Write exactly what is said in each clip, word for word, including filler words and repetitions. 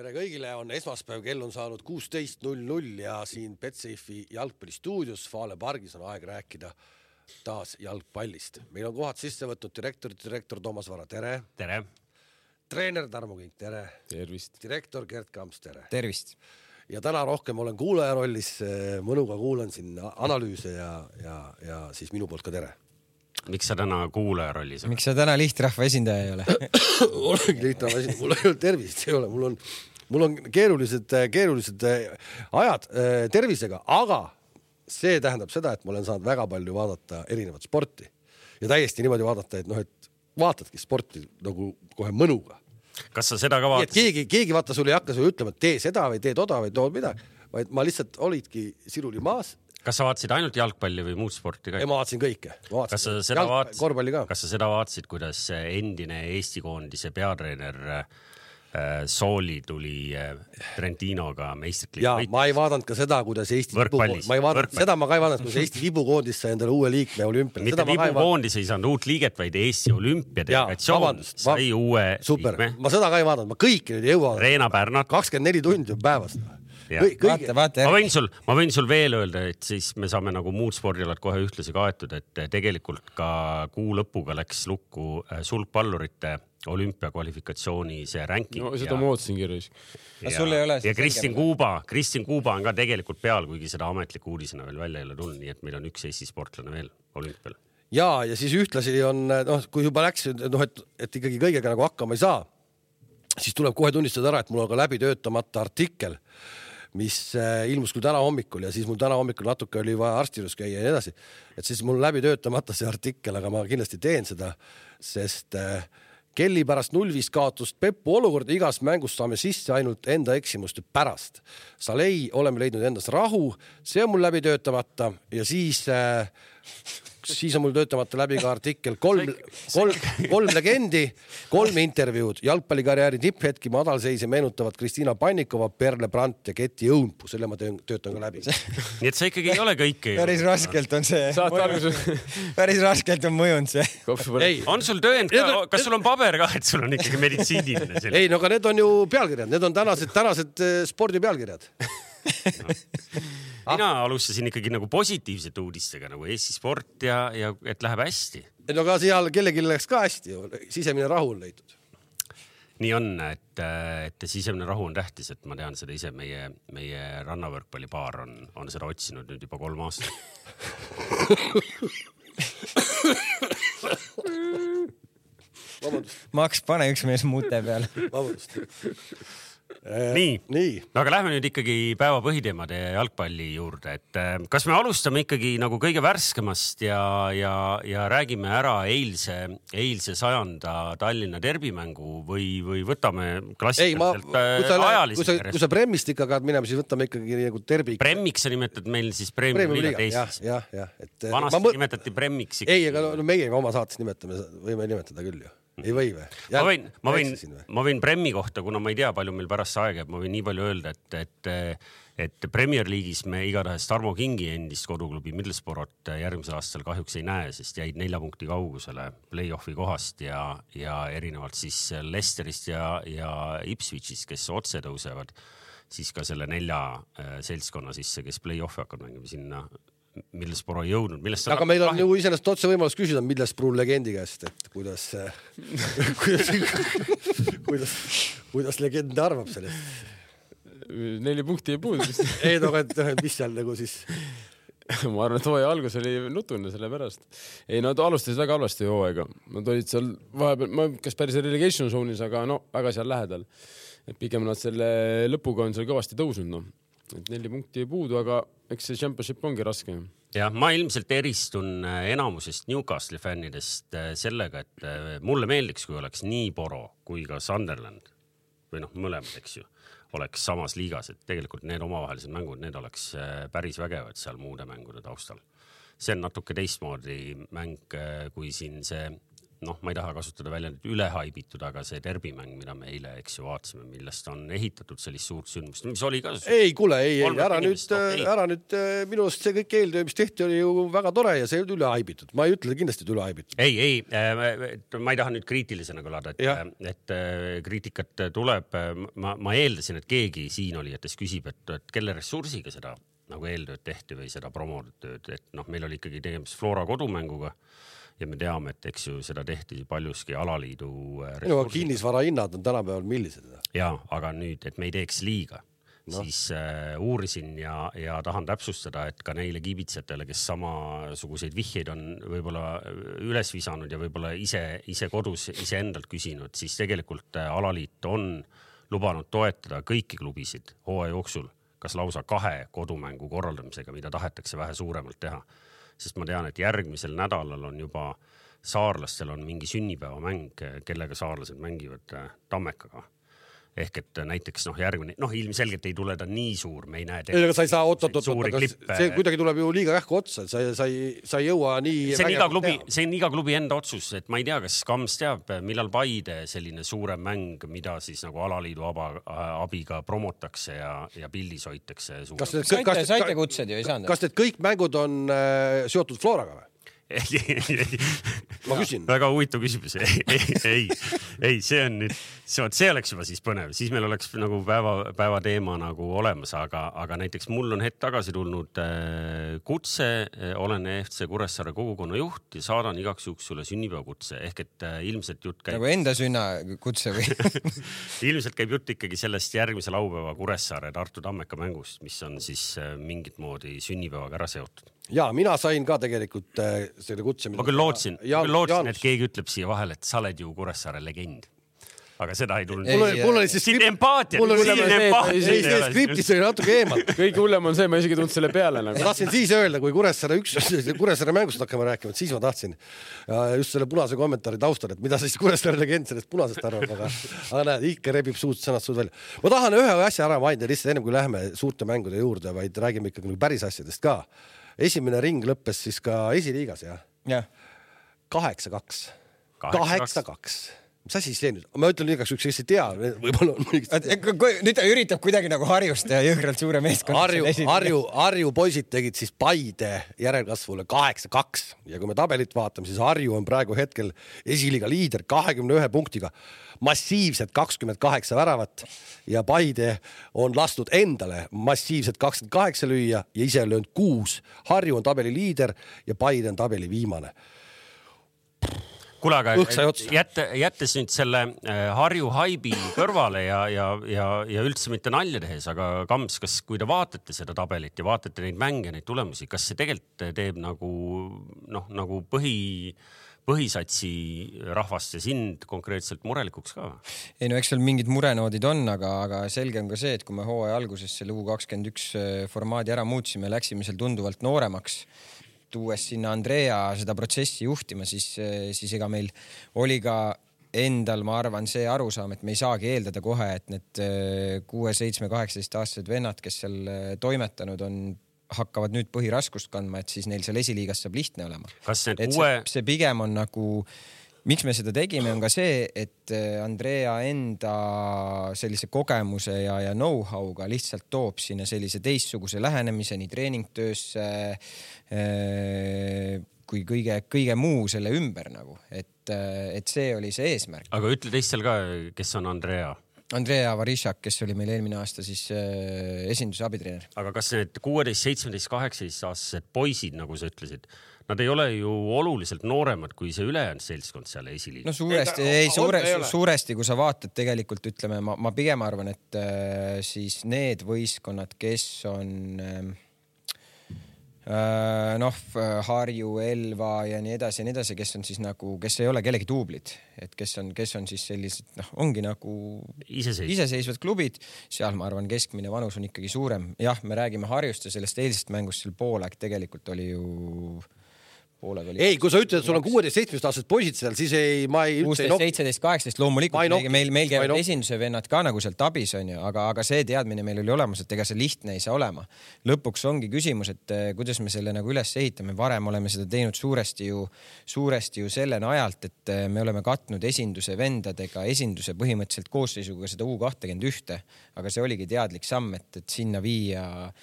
Tere kõigile, on esmaspäev, kell on saanud kuusteist null null ja siin Betsafe'i jalgpallistuudios Faale pargis on aeg rääkida taas jalgpallist. Meil on kohad sisse võtnud direktor, direktor Toomas Vara, tere. Tere. Treener Tarmo Kink, tere. Tervist. Direktor Gert Kamps, tere. Tervist. Ja täna rohkem olen kuulaja rollis, mõnuga kuulan siin analüüse ja, ja, ja siis minu poolt ka tere. Miks sa täna kuulaja rollis? Miks sa täna lihtrahva esindaja ei ole? Olengi lihtrahva esindaja, mul ei ole tervist, ei ole, mul on, mul on keerulised, keerulised ajad tervisega, aga see tähendab seda, et ma olen saanud väga palju vaadata erinevat sporti ja täiesti niimoodi vaadata, et noh, et vaatadki sporti nagu kohe mõnuga. Kas sa seda ka vaatasid? Keegi, keegi vaata sul ei hakka sulle ütlema, et tee seda või tee toda või tood midagi, vaid ma lihtsalt olidki siruli maas. Kas sa vaatasid ainult jalgpalli või muud sporti ka? Ei, ma vaatasin kõike. Ma vaatasin kas sa seda jalg... vaatasid, korvpalli ka. Kas sa seda vaatasid, kuidas endine Eesti koondise peatreener Sooli tuli Trentinoga meistrikliiga? Ja ma ei vaadanud ka seda, kuidas Eesti Võrkpallis. Ma ei vaadanud, seda ma ka ei vaadanud, kuidas Eesti vibukoondis sai endale uue liikme olümpial. Mitte vibukoondis ei saanud uut liiget, vaid Eesti olümpiadelegatsioon sai uue super. liikme. Ma seda ka ei vaadanud, ma kõiki nüüd ei jõua. Reena Pärnat. kakskümmend neli tundi päevast. Kõik, vaata, vaata, ma võin sul, ma võin sul veel öelda, et siis me saame nagu muud spordialad kohe ühtlasi kaetud, et tegelikult ka kuu lõpuga läks lukku sulgpallurite olümpiakvalifikatsiooni see ranking. No seda ja... ma ootsin kirjus. Ja, ja, ja Kristin Kuuba, Kristin Kuuba on ka tegelikult peal, kuigi seda ametliku uudisena veel välja ei ole tulnud, nii et meil on üks Eesti sportlane veel olümpial. Ja, ja siis ühtlasi on, noh, kui juba läks, noh, et, et ikkagi kõigega nagu hakkama ei saa, siis tuleb kohe tunnistada ära, et mul on ka läbi töötamata artikkel, mis ilmus küll täna hommikul ja siis mul täna hommikul natuke oli vaja arstirus käia ja nii edasi. Et siis mul läbi töötamata see artikkel, aga ma kindlasti teen seda, sest Kelly pärast null viis kaotust Peppu olukorda igas mängus saame sisse ainult enda eksimuste pärast. Salei oleme leidnud endas rahu, see on mul läbi töötamata ja siis... siis on mul töötamata läbi ka artikkel kolm, kolm, kolm legendi, kolm intervjuud, jalgpallikarjääri tipphetki madalseise meenutavad Kristiina Pannikova, Perle Brandt ja Keti Õunpuu, selle ma töötan ka läbi. Nii et see ikkagi ei ole kõike. Päris raskelt on see. Päris raskelt on mõjunud see. Ei, on sul töönd ka, kas sul on paber ka, et sul on ikkagi meditsiiniline? Ei, no aga need on ju pealkirjad, need on tänased, tänased spordi pealkirjad. No. Mina alustasin ikkagi nagu positiivsete uudistega nagu Eesti sport ja, ja et läheb hästi. No ka seal kellelgi läks ka hästi, sisemine rahu on leitud. Nii on, et, et sisemine rahu on tähtis, et ma tean seda ise, meie, meie rannavõrkpallipaar on, on seda otsinud nüüd juba kolm aastat. Maks, pane üks mees muute peal. Vabandust. Nii. Nii, aga lähme nüüd ikkagi päeva põhiteemade jalgpalli juurde, et kas me alustame ikkagi nagu kõige värskemast ja, ja, ja räägime ära eilse, eilse sajanda Tallinna derbimängu või, või võtame klassikaliselt ajalist. Kui sa, kui sa Bremmist ikka kaad minema, siis võtame ikkagi nagu derbi. Bremmiks sa nimetad meil siis Premiumi liigat Eestis. Ja, ja, et vanasti ma... nimetati Bremmiks. Ei, aga no, meie oma saates nimetame, võime nimetada küll ju. Ei või või? Ma võin, ma võin, ma võin Bremmi kohta, kuna ma ei tea, palju meil pärast see aeg, ma võin nii palju öelda, et, et, et Premier League'is me igatahes Tarmo Kingi endist koduklubi Middlesbrough't järgmisel aastal kahjuks ei näe, sest jäid nelja punkti kaugusele play-offi kohast ja, ja erinevalt siis Leicesterist ja, ja Ipswichist, kes otse tõusevad, siis ka selle nelja seltskonna sisse, kes play-offi hakkavad mängima sinna Middlesbrough ei jõudnud. Aga meil on ju iseenesest otse võimalus küsida Middlesbrough legendi käest, et kuidas, kuidas, kuidas, kuidas legend arvab sellest. Neli punkti ei puudu. Ei, no, et mis seal nagu siis... Ma arvan, et hooaja algus oli nutune selle pärast. Ei, nad alustasid väga halvasti hooaega. Nad olid seal vahepeal, ma kas päris relegation zoonis, aga no, väga seal lähedal. Et pigem nad selle lõpuga on seal kõvasti tõusnud, no. Et neli punkti ei puudu, aga eks see championship ongi raske. Ja ma ilmselt eristun enamusest Newcastle fännidest sellega, et mulle meeldiks, kui oleks nii Boro kui ka Sunderland või noh, mõlemad, eks ju, oleks samas liigas, et tegelikult need omavahelised mängud, need oleks päris vägevad seal muude mängude taustal. See on natuke teistmoodi mäng, kui siin see noh, ma ei taha kasutada välja nüüd üle haibitud, aga see derbimäng, mida me eile, eks ju, vaatasime, millest on ehitatud sellist suurt sündmust, mis oli ka... Ei, kuule, ei, ei, ära nüüd, okay. ära nüüd, minu arust see kõik eeltöö, mis tehti, oli ju väga tore ja see ei olnud üle haibitud. Ma ei ütle kindlasti, et üle haibitud. Ei, ei, ma ei taha nüüd kriitilisena kõlada, et, et kriitikat tuleb, ma, ma eeldasin, et keegi siin oli, et kes küsib, et, et kelle ressursiga seda nagu eeltööd tehti või seda promotööd, et noh, meil oli ikkagi tegemist Flora kodumänguga ja me teame, et eks ju seda tehti paljuski alaliidu ressursiga. Kinnisvara hinnad on tänapäeval millised? Ja, aga nüüd, et me ei teeks liiga, no. siis äh, uurisin ja, ja tahan täpsustada, et ka neile kiibitsjatele, kes samasuguseid vihjeid on võib-olla üles visanud ja võib-olla ise, ise kodus ise endalt küsinud, siis tegelikult äh, alaliit on lubanud toetada kõiki klubisid hooaja jooksul, kas lausa kahe kodumängu korraldamisega, mida tahetakse vähe suuremalt teha. Sest ma tean, et järgmisel nädalal on juba saarlastel on mingi sünnipäevamäng, kellega saarlased mängivad Tammekaga. Ehk et näiteks noh, järgmine, noh ilmselgelt ei tule ta nii suur, me ei näe ei, aga sa ei saa oot, oot, oot, aga see kuidagi tuleb ju liiga kähku otsa, sa, sa, sa ei jõua nii see on, iga klubi, see on iga klubi enda otsus, et ma ei tea, kas Kams teab, millal Paide selline suurem mäng, mida siis nagu alaliidu aba, abiga promotakse ja, ja pildis hoitakse kas need, saite, kas, saite kutsed ju ei saanud? Kas need kõik mängud on äh, seotud Floraga või? Ma küsin. Väga huvitav küsimus. Ei, ei, ei, ei, see on nüüd, see, see oleks juba siis põnev. Siis meil oleks nagu päeva, päeva teema nagu olemas, aga, aga näiteks mul on hetk tagasi tulnud äh, kutse, olen E F C Kuressaare kogukonna juht ja saadan igaks juhuks sulle sünnipäevakutse. Ehk et äh, ilmselt jutt käib... Nagu enda sünna kutse või? ilmselt käib jutt ikkagi sellest järgmise laupäeva Kuressaare Tartu Tammeka mängust, mis on siis äh, mingit moodi sünnipäevaga ära seotud. Ja mina sain ka tegelikult äh, selle kutse. Ma küll lootsin, ja, küll lootsin et keegi ütleb siia vahel, et sa oled ju Kuressaare legend. Aga seda ei tulnud. Mul oli, mul oli siis skript... empaatia. Mul oli siis skriptis oli natuke eemalt. Kõige hullem on see, ma isegi tundnud selle peale. Nagu. Ma tahtsin siis öelda, kui Kuressaare üks, Kuressaare mängust hakkama rääkima, siis ma tahtsin just selle punase kommentaari taustal, et mida siis Kuressaare legend sellest punasest arvab, aga, aga näed, ikka rebib suud sõnad suud välja. Ma tahan ühe asja ära mainida lihtsalt ennem, kui lähme suurte mängude juurde, vaid räägime ikkagi päris asjadest ka. Esimene ring lõppes siis ka esiliigas, jah? Jah. kaheksa kaks. kaheksa kaks. Mis asi see nüüd? Ma ütlen igaks üks, kes ei tea. Võib-olla on nüüd ta üritab kuidagi nagu Harjust ja Jõhkralt suure meeskonna. Harju, Harju, Harju poisid tegid siis Paide järelkasvule kaheksa kaks. Ja kui me tabelit vaatame, siis Harju on praegu hetkel esiliiga liider kahekümne ühe punktiga. Massiivselt kakskümmend kaheksa väravat ja Paide on lastud endale massiivselt kakskümmend kaheksa lüüa ja ise on löönud kuus. Harju on tabeli liider ja Paide on tabeli viimane. Kuule, aga jätte, jättes nüüd selle Harju haibi kõrvale ja, ja, ja, ja üldse mitte nalja tehes, aga Kams, kas kui te vaatate seda tabelit ja vaatate neid mänge, neid tulemusi, kas see tegelikult teeb nagu, noh, nagu põhi, põhisatsi rahvast ja sind konkreetselt murelikuks ka? Ei no, eks seal mingid murenoodid on, aga, aga selge on ka see, et kui me hooaja alguses selle U kakskümmend üks formaadi ära muutsime, läksime seal tunduvalt nooremaks, tuues sinna Andrea seda protsessi juhtima, siis, siis ega meil oli ka endal, ma arvan, see arusaam, et me ei saagi eeldada kohe, et need kuue, seitsme, kaheksateist aastased vennad, kes seal toimetanud on, hakkavad nüüd põhiraskust kandma, et siis neil seal esiliigas saab lihtne olema. Kas et uue... see, see pigem on nagu, miks me seda tegime, on ka see, et Andrea enda sellise kogemuse ja, ja know-how'ga lihtsalt toob sinna sellise teistsuguse lähenemise nii treeningtöösse kui kõige, kõige muu selle ümber nagu, et, et see oli see eesmärk. Aga ütle teistel ka, kes on Andrea? Andrea Varishak, kes oli meil eelmine aasta siis esinduse abitreener. Aga kas need kuueteist, seitsmeteist, kaheksateist aastased poisid, nagu sa ütlesid, nad ei ole ju oluliselt nooremad kui see ülejäänud seltskond seal esiliigas? No suuresti, ei, ei suure, suuresti, kui sa vaatad tegelikult, ütleme, ma, ma pigem arvan, et äh, siis need võistkonnad, kes on äh, noh, Harju, Elva ja nii edasi ja nii edasi, kes on siis nagu, kes ei ole kellegi duublid, et kes on, kes on siis sellised, noh, ongi nagu Iseseisvad. iseseisvad klubid, seal ma arvan, keskmine vanus on ikkagi suurem. Jah, me räägime Harjust ja sellest eilsest mängust seal poolaeg tegelikult oli ju pooled oli. ei, kui sa ütled, et sul on kuueteist seitsmeteist aastased poisid seal, siis ei, ma ei kuusteist seitseteist kaheksateist loomulikult meil, meil, meil käivad esinduse vennad ka nagu sealt abis on ju, aga, aga see teadmine meil oli olemas, et ega see lihtne ei saa olema. Lõpuks ongi küsimus, et kuidas me selle nagu üles ehitame. Varem oleme seda teinud suuresti ju, suuresti ju selle najalt, et me oleme katnud esinduse vendadega esinduse põhimõtteliselt koosseisuga seda U kakskümmend üks, aga see oligi teadlik samm, et, et sinna viia.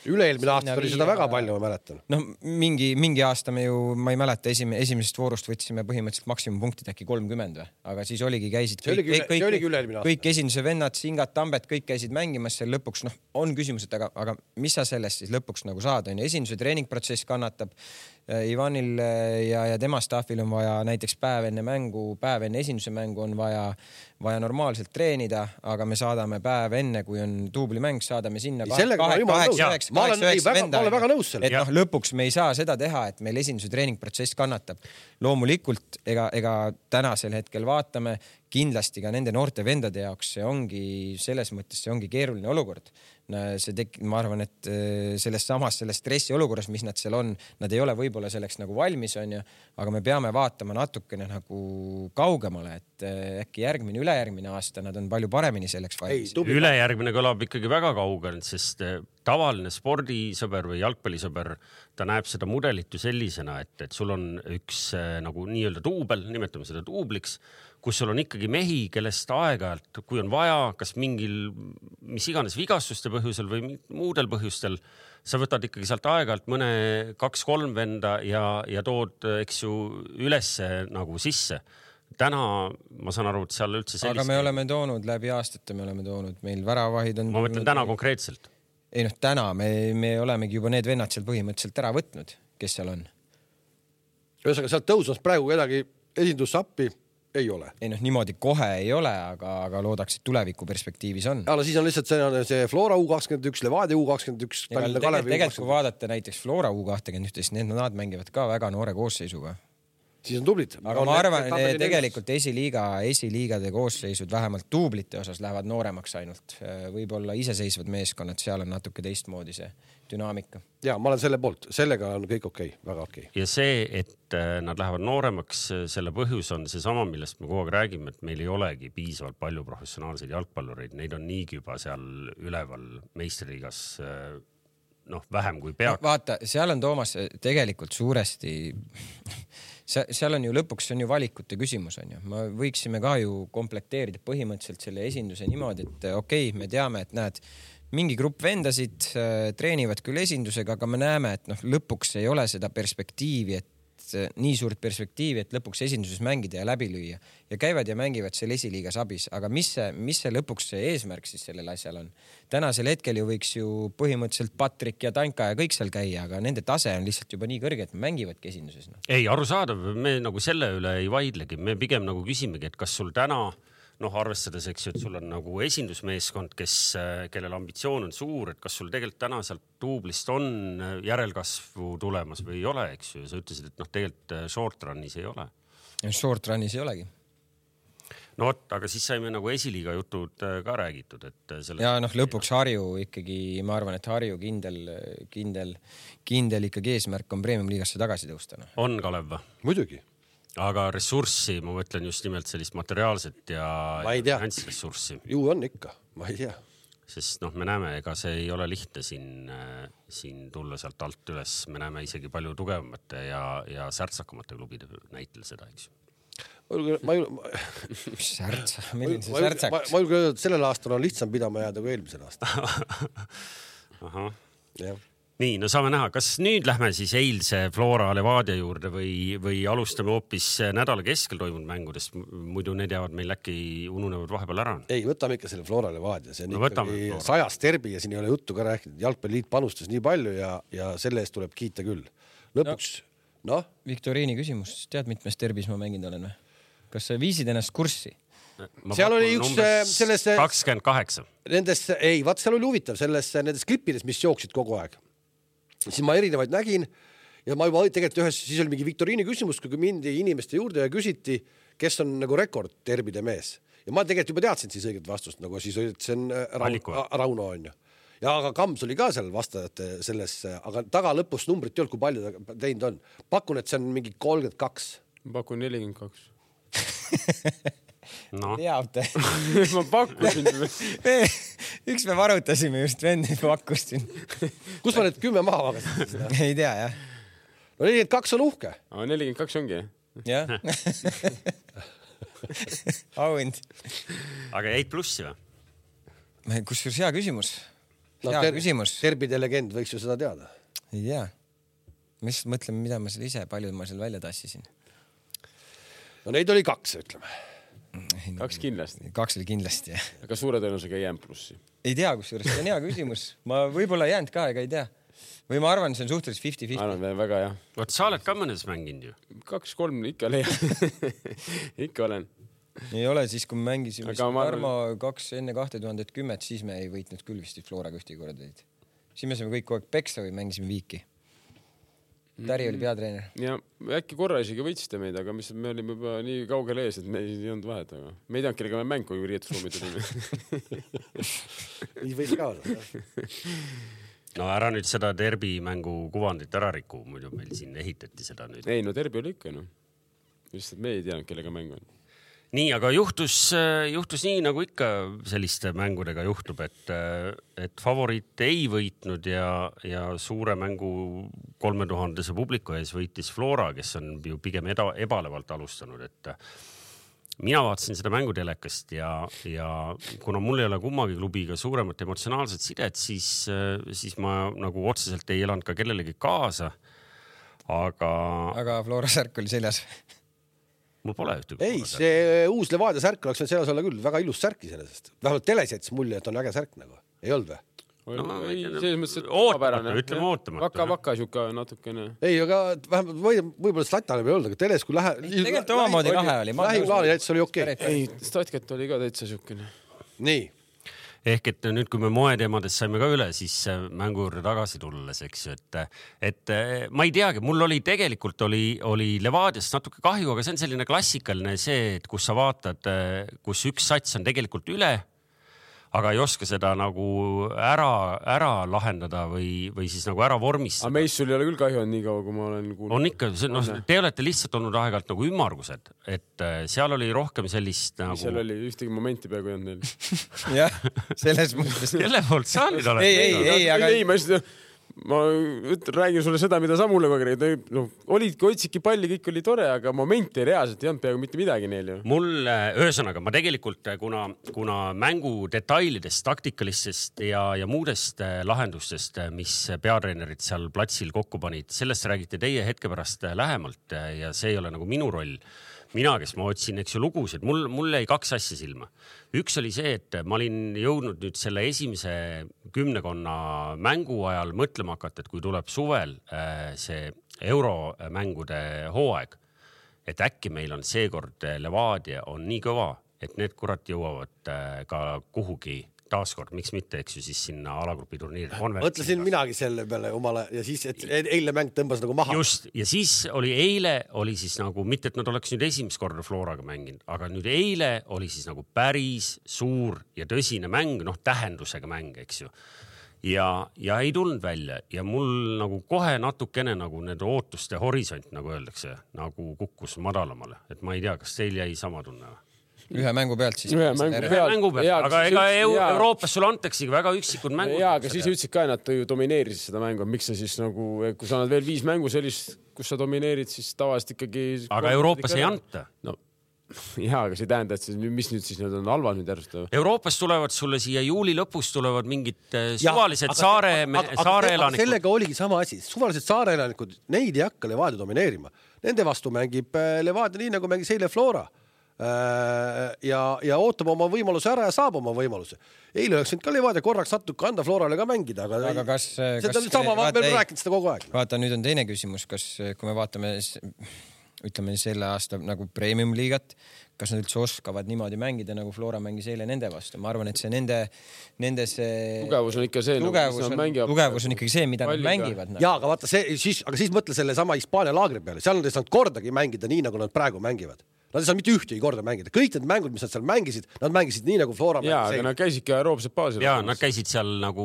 Üle-eelmine aasta oli seda väga palju, ma mäletan. No mingi, mingi aasta me ju, ma ei mäleta, esim, esimesest voorust võtsime põhimõtteliselt maksimumpunktid äkki kolmkümmend või, aga siis oligi, käisid kõik, kõik, kõik, kõik, kõik, kõik esinduse vennad, Singad, Tambet, kõik käisid mängimas seal lõpuks, noh, on küsimus, et aga, aga mis sa sellest siis lõpuks nagu saad, on ju, esinduse treeningprotsess kannatab. Ivanil ja, ja tema staffil on vaja näiteks päev enne mängu, päev enne esinduse mängu on vaja, vaja normaalselt treenida, aga me saadame päev enne, kui on duublimäng, saadame sinna kaheksa nõus. Et noh, lõpuks me ei saa seda teha, et meil esinduse treeningprotsess kannatab. Loomulikult, ega, ega tänasel hetkel vaatame, kindlasti ka nende noorte vendade jaoks see ongi, selles mõttes see ongi keeruline olukord. See tek-, ma arvan, et selles samas, selles stressi olukorras, mis nad seal on, nad ei ole võib-olla selleks nagu valmis on ju, aga me peame vaatama natukene nagu kaugemale, et äkki järgmine, ülejärgmine aasta nad on palju paremini selleks valmis. Ei, ülejärgmine kõlab ikkagi väga kaugel, sest tavaline spordisõber või jalgpallisõber, ta näeb seda mudelit ju sellisena, et, et sul on üks nagu nii-öelda duubel, nimetame seda duubliks, kus sul on ikkagi mehi, kellest aeg-ajalt, kui on vaja, kas mingil, mis iganes vigastuste põhjusel või muudel põhjustel, sa võtad ikkagi sealt aeg-ajalt mõne kaks-kolm venda ja, ja tood, eks ju, ülesse nagu sisse. Täna ma saan aru, et seal üldse sellist... Aga me oleme toonud läbi aastate, me oleme toonud, meil väravahid on... Ma mõtlen täna konkreetselt. Ei noh, täna me, me olemegi juba need vennad seal põhimõtteliselt ära võtnud, kes seal on. Ühesõnaga, sealt tõusmas praegu kedagi esindussappi ei ole. Ei noh, niimoodi kohe ei ole, aga, aga loodaks, et tuleviku perspektiivis on. Aga siis on lihtsalt see, see Flora U kakskümmend üks, Levadia U kakskümmend üks. Ja tegelikult, tegelikult kui vaadata näiteks Flora U kakskümmend üks, need nad mängivad ka väga noore koosseisuga. Siis on tublid. Aga ma arvan, et tegelikult esiliiga, esiliigade koosseisud vähemalt duublite osas lähevad nooremaks ainult. Võib-olla iseseisvad meeskonnad, seal on natuke teistmoodi see dünaamika. Ja, ma olen selle poolt. Sellega on kõik okei, väga okei. Ja see, et nad lähevad nooremaks, selle põhjus on see sama, millest me kogu aeg räägime, et meil ei olegi piisavalt palju professionaalseid jalgpallureid. Neid on niigi juba seal üleval meistriliigas noh, vähem kui peaks. No, vaata, seal on Toomas tegelikult suuresti... Seal on ju lõpuks, see on ju valikute küsimus on ju. Me võiksime ka ju komplekteerida põhimõtteliselt selle esinduse niimoodi, et okei, me teame, et näed, mingi grupp vendasid treenivad küll esindusega, aga me näeme, et noh, lõpuks ei ole seda perspektiivi, et nii suurt perspektiivi, et lõpuks esinduses mängida ja läbi lüüa ja käivad ja mängivad seal esiliigas abis. Aga mis see, mis see lõpuks see eesmärk siis sellel asjal on? Tänasel hetkel ju võiks ju põhimõtteliselt Patrik ja Tanka ja kõik seal käia, aga nende tase on lihtsalt juba nii kõrge, et me mängivadki esinduses. No. Ei, arusaadav, me nagu selle üle ei vaidlegi. Me pigem nagu küsimegi, et kas sul täna noh, arvestades, eks ju, et sul on nagu esindusmeeskond, kes, kellel ambitsioon on suur, et kas sul tegelikult täna sealt duublist on järelkasvu tulemas või ei ole, eks ju. Sa ütlesid, et noh, tegelikult short run'is ei ole. Short run'is ei olegi. No võt, aga siis saime nagu esiliiga jutud ka räägitud, et selle... Ja noh, lõpuks Harju ikkagi, ma arvan, et Harju kindel, kindel, kindel ikkagi eesmärk on Premium-liigasse tagasi tõustana. On, Kalev? Muidugi. Aga ressurssi, ma mõtlen just nimelt sellist materiaalset ja finantsressurssi. Ju on ikka, ma ei tea. Sest noh, me näeme, ega see ei ole lihtne siin, siin tulla sealt alt üles. Me näeme isegi palju tugevamate ja, ja särtsakamate klubide näitel seda, eks ju. Ma ei... Särtsa, milline see särtsaks? Ma julge öelda, et sellel aastal on lihtsam pidama jääda kui eelmisel aastal. Ahah. Jah. Nii, no saame näha, kas nüüd lähme siis eilse Flora Levadia juurde või, või alustame hoopis nädala keskel toimunud mängudest, muidu need jäävad meil äkki ununevad vahepeal ära. Ei, võtame ikka selle Flora Levadia, see on no, ikkagi sajas terbi ja siin ei ole juttu ka rääkinud, Jalgpalliliit panustas nii palju ja, ja selle eest tuleb kiita küll. Lõpuks, noh. No? Viktoriini küsimus, tead mitmes terbis ma mänginud olen või? Kas sa viisid ennast kurssi? Ma seal oli üks selles... kakskümmend kaheksa. Nendes, ei, vaat seal oli huvitav, selles, nendes klippides, mis jooksid kogu aeg. Siis ma erinevaid nägin ja ma juba tegelikult ühes, siis oli mingi Viktoriini küsimus, kui mindi inimeste juurde ja küsiti, kes on nagu rekord terbide mees. Ja ma tegelikult juba teadsin siis õiget vastust, nagu siis oli, et see on Rauno, Rauno on ju. ja aga Kams oli ka seal vastajate selles, aga taga lõpus numbrit ei olnud, kui palju ta teinud on. Pakun, et see on mingi kolmkümmend kaks. Ma pakun nelikümmend kaks. No. Teab te. Ma pakkusin. Üks me varutasime just vendi pakkusin. Kus ma need kümme maha vagasin? Ei tea, jah. No nelikümmend kaks on uhke. Aga nelikümmend kaks ongi, jah? Auhind. Aga jäid plussi või? Kusjuures hea küsimus. No, hea ter küsimus. Terbide legend võiks ju seda teada. Ei tea. Ma just mõtlen, mida ma seal ise, palju ma seal välja tassisin. No neid oli kaks, ütleme. Kaks kindlasti. Kaks oli kindlasti, jah. Aga suure tõenäosusega jään plussi. Ei tea, kusjuures, see on hea küsimus. Ma võib-olla jäänud ka, ega ei tea. Või ma arvan, see on suhteliselt fifty fifty. Arvan, väga jah. Võt, sa oled ka mõnes mänginud ju. Kaks, kolm ikka leian. Ikka olen. Ei ole siis, kui me mängisime arvan... Tarmo kaks enne kahe tuhande kümmet, siis me ei võitnud küll vist Flora ühtegi korda. Siis me saime kõik kogu aeg peksa või mängisime viiki. Täri oli peatreener. Ja äkki korra isegi võitsite meid, aga mis, me olime juba nii kaugel ees, et me ei olnud vahet. Aga me ei teanud, kellega me mäng, kui riietusruumi tulime. Nii võis ka olla. No ära nüüd seda derbi mängu kuvandit ära riku, muidu meil siin ehitati seda nüüd. Ei, no derbi oli ikka, no. Lihtsalt me ei teanud, kellega mäng on. Nii, aga juhtus, juhtus nii, nagu ikka selliste mängudega juhtub, et, et favoriit ei võitnud ja, ja suure mängu kolme tuhandese publiku ees võitis Flora, kes on ju pigem eda, ebalevalt alustanud, et mina vaatasin seda mängutelekast ja, ja kuna mul ei ole kummagi klubiga suuremat emotsionaalset sidet, siis, siis ma nagu otseselt ei elanud ka kellelegi kaasa, aga... Aga Flora särk oli seljas. Mul pole ühtegi. Ei, see uus Levadia särk oleks selles olla küll väga ilus särki sellest. Vähemalt teles jättis mulje, et on äge särk nagu. Ei olnud või? No, ei, selles mõttes, et ootamata, ütleme ootamata. Vaka-vaka siuka natukene. Ei, aga vähemalt võib-olla statale ei olnud, aga teles kui lähe... Tegelikult omamoodi lahe oli. Lähiklaani näitus oli okei. Ei, statkat oli ka täitsa siukene. Nii. Ehk et nüüd, kui me moeteemadest saime ka üle, siis mängu juurde tagasi tulles, eks ju, et, et ma ei teagi, mul oli tegelikult oli, oli Levadiast natuke kahju, aga see on selline klassikaline see, et kus sa vaatad, kus üks sats on tegelikult üle, aga ei oska seda nagu ära, ära lahendada või, või siis nagu ära vormistada. Aga meist sul ei ole küll kahju on nii kaua, kui ma olen kuulnud. On ikka, no, te olete lihtsalt olnud aegalt nagu ümmargused, et seal oli rohkem sellist nagu... Seal oli ühtegi momenti peaaegu ei olnud neil. Jah, selles mõttes. Kelle poolt sa nüüd oled? Ei, ei, ei, aga... Ei, ma just... Ma räägin sulle seda, mida sa mulle kogu no, olidki, otsidki palli, kõik oli tore, aga momenti reaalselt ei olnud peaaegu mitte midagi neil ju. Mul, ühesõnaga, ma tegelikult, kuna, kuna mängu detailidest, taktikalistest ja, ja muudest lahendustest, mis peatreenerid seal platsil kokku panid, sellest räägite teie hetke pärast lähemalt ja see ei ole nagu minu roll. Mina, kes ma otsin, eks ju, lugusid, mul, mul jäi kaks asja silma. Üks oli see, et ma olin jõudnud nüüd selle esimese kümnekonna mängu ajal mõtlema hakata, et kui tuleb suvel see euromängude hooaeg, et äkki meil on seekord Levadia on nii kõva, et need kurat jõuavad ka kuhugi taaskord, miks mitte, eks ju, siis sinna alagrupi turniiri. Mõtlesin minagi selle peale omale ja siis, et eile mäng tõmbas nagu maha. Just, ja siis oli eile, oli siis nagu, mitte et nad oleks nüüd esimest korda Floraga mänginud, aga nüüd eile oli siis nagu päris suur ja tõsine mäng, noh, tähendusega mäng, eks ju. Ja, ja ei tulnud välja ja mul nagu kohe natukene nagu need ootuste horisont, nagu öeldakse, nagu kukkus madalamale, et ma ei tea, kas teil jäi sama tunne või? Ühe mängu pealt siis. Ühe mängu pealt. Mängu pealt. Ja, aga ega ja... Euroopas sul antaksegi väga üksikud mängud. Jaa, aga siis ütlesid ka, et nad ju domineerisid seda mängu. Miks sa siis nagu, kui sa annad veel viis mängu sellist, kus sa domineerid, siis tavaliselt ikkagi... Aga Euroopas ei anta. No, jaa, aga see ei tähenda, et see, mis nüüd siis need on halvad nüüd järjest. Euroopas tulevad sulle siia juuli lõpus tulevad mingid suvalised ja, saare, aga, saare aga, elanikud. Sellega oligi sama asi. Suvalised saare elanikud, neid ei hakka Levadia domineerima. Nende vastu mängib Levadia nii, nagu mängis eile Flora. ja, ja ootab oma võimaluse ära ja saab oma võimaluse. Eile oleks ka Levadia korraks natuke anda Florale ka mängida, aga, aga kas, seda kas, sama, ma veel rääkinud seda kogu aeg. Vaata, nüüd on teine küsimus, kas kui me vaatame ütleme selle aasta nagu premium liigat, kas nad üldse oskavad niimoodi mängida, nagu Flora mängis eile nende vastu. Ma arvan, et see nende, nende see... Tugevus on ikka see, tugevus, nagu, on, tugevus on ikkagi see, mida palliga. Nad mängivad. Jaa, aga vaata, see, siis, aga siis mõtle selle sama Hispaania laagri peale. Seal nad ei saanud kordagi mängida nii, nagu nad praegu mängivad. Nad ei saa mitte ühtegi korda mängida. Kõik need mängud, mis nad seal mängisid, nad mängisid nii nagu Flora. Jaa, aga nad käisidki aeroobsed baasil. Jaa, nad käisid seal nagu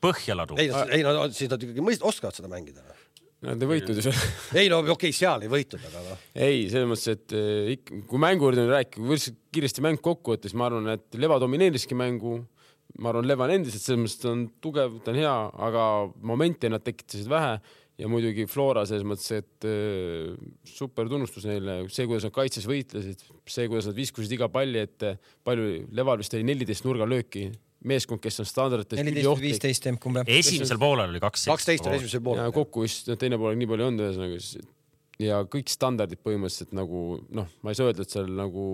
põhjaladu. Ei, ei no, siis nad ikkagi mõist, oskavad seda mängida. Nad ei võitud ju seal. Ei, no okei, okay, seal ei võitud, aga no. Ei, selles mõttes, et kui mänguurdi on rääkida, kui võrdsed kiiresti mäng kokku võttes, ma arvan, et Leva domineeriski mängu. Ma arvan, Leva on endiselt, selles mõttes ta on tugev, ta on hea, aga momente nad tekitasid vähe. Ja muidugi Flora selles mõttes, et äh, super tunnustus neile, see, kuidas nad kaitses võitlesid, see, kuidas nad viskusid iga palli, et palju Leval vist oli neliteist nurga lööki, meeskond, kes on standarditest neliteist viisteist emb. Esimesel poolel oli kaksteist. kaksteist on esimesel poolel. Ja kokku vist teine pool nii palju on ühesõnaga. Ja kõik standardid põhimõtteliselt nagu, noh, ma ei saa öelda, et seal nagu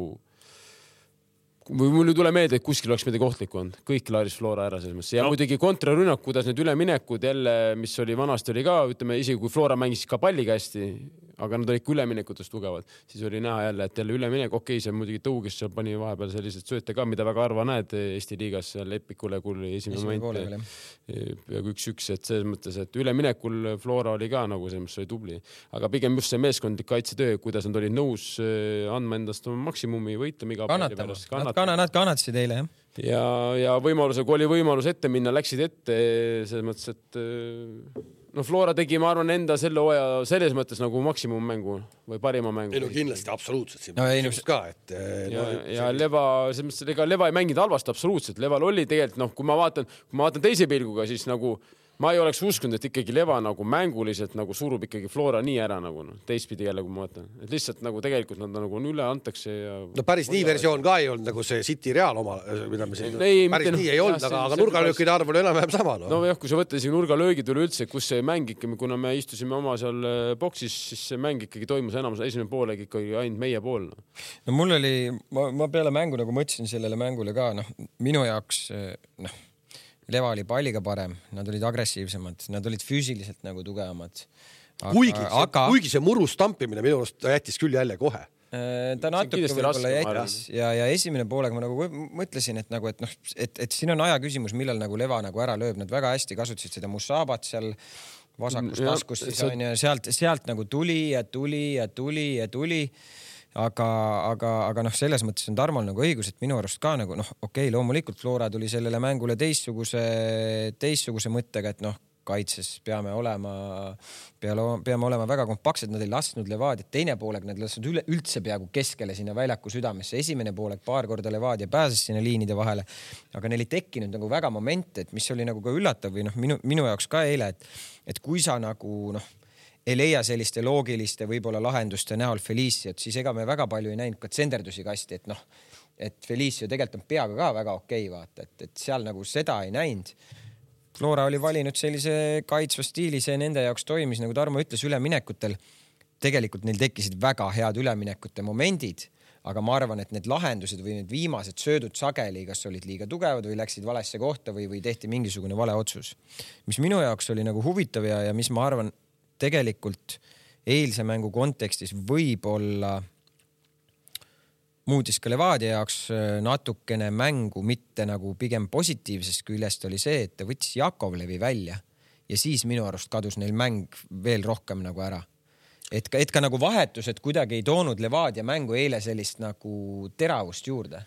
või mul ei tule meelde, et kuskil oleks midagi ohtlikku olnud. Kõik laaris Flora ära selles mõttes. Ja no. muidugi kontrarünnak, kuidas need üleminekud jälle, mis oli vanasti oli ka, ütleme, isegi kui Flora mängis ka palliga hästi, aga nad olid üleminekutes tugevad, siis oli näha jälle, et jälle üleminek, okei, see muidugi tõugis, seal pani vahepeal sellised sööte ka, mida väga harva näed Eesti liigas, seal Epikule, kui esimene moment peaaegu üks-üks, et selles mõttes, et üleminekul Flora oli ka nagu see, mis oli tubli. Aga pigem just see meeskondlik kaitsetöö, kuidas nad olid nõus andma endast maksimumi võitlema iga palli pärast. Nad, kana, nad kannatasid eile, jah. Ja, ja võimaluse, kui oli võimalus ette minna, läksid ette selles mõttes, et no Flora tegi, ma arvan, enda selle hooaja selles mõttes nagu maksimummängu või parima mängu. Ei no kindlasti, absoluutselt. Siin no, ei, no, ka, et, ja, no, ja see... Leva, selles mõttes, ega Leva ei mänginud halvast absoluutselt. Leval oli tegelikult, noh, kui ma vaatan, kui ma vaatan teise pilguga, siis nagu ma ei oleks uskunud, et ikkagi Leva nagu mänguliselt nagu surub ikkagi Flora nii ära nagu no, teistpidi jälle, kui ma vaatan. Et lihtsalt nagu tegelikult nad nagu üle antakse. Ja... No päris nii versioon ka ei olnud nagu see City Real oma, mida me siin ei, päris mitte, nii ei olnud, aga, aga nurgalöökide arv oli enam-vähem sama. No, no jah, kui sa võtta isegi nurgalöögid üle üldse, kus see mäng ikkagi, kuna me istusime oma seal boksis, siis see mäng ikkagi toimus enamus esimene poolega ikkagi ainult meie pool. No, no mul oli, ma, ma peale mängu nagu mõtlesin sellele mängule ka, noh, minu jaoks, noh, Leva oli palliga parem, nad olid agressiivsemad, nad olid füüsiliselt nagu tugevamad. Kuigi, aga... kuigi see muru stampimine minu arust jättis küll jälle kohe. Ta natuke võib-olla jättis ja, ja esimene poolega ma nagu mõtlesin, et nagu, et noh, et, et siin on aja küsimus, millal nagu Leva nagu ära lööb. Nad väga hästi kasutasid seda Musabat seal vasakust taskust, siis on ja sealt, sealt nagu tuli ja tuli ja tuli ja tuli. Aga, aga, aga noh, selles mõttes on Tarmol nagu õigus, et minu arust ka nagu noh, okei, loomulikult Flora tuli sellele mängule teistsuguse, teistsuguse mõttega, et noh, kaitses peame olema, peame olema väga kompaktsed, nad ei lasknud Levadia, teine pooleg nad lasknud üle, üldse peaaegu keskele sinna väljaku südamesse, esimene pooleg paar korda Levadia pääses sinna liinide vahele, aga neil ei tekkinud nagu väga momente, et mis oli nagu ka üllatav või noh, minu, minu jaoks ka eile, et, et kui sa nagu noh, ei leia selliste loogiliste võib-olla lahenduste näol Feliciot, siis ega me väga palju ei näinud ka tsenderdusi kasti, et noh, et Felicio tegelikult on peaga ka väga okei, vaata, et, et seal nagu seda ei näinud. Flora oli valinud sellise kaitsva stiili, see nende jaoks toimis, nagu Tarmo ütles, üleminekutel. Tegelikult neil tekkisid väga head üleminekute momendid, aga ma arvan, et need lahendused või need viimased söödud sageli, kas olid liiga tugevad või läksid valesse kohta või, või tehti mingisugune vale otsus. Mis minu jaoks oli nagu huvitav ja, ja mis ma arvan, tegelikult eilse mängu kontekstis võib-olla muutis ka Levadia jaoks natukene mängu, mitte nagu pigem positiivsest küljest oli see, et ta võttis Jakovlevi välja ja siis minu arust kadus neil mäng veel rohkem nagu ära. Et ka, et ka nagu vahetused kuidagi ei toonud Levadia mängu eile sellist nagu teravust juurde.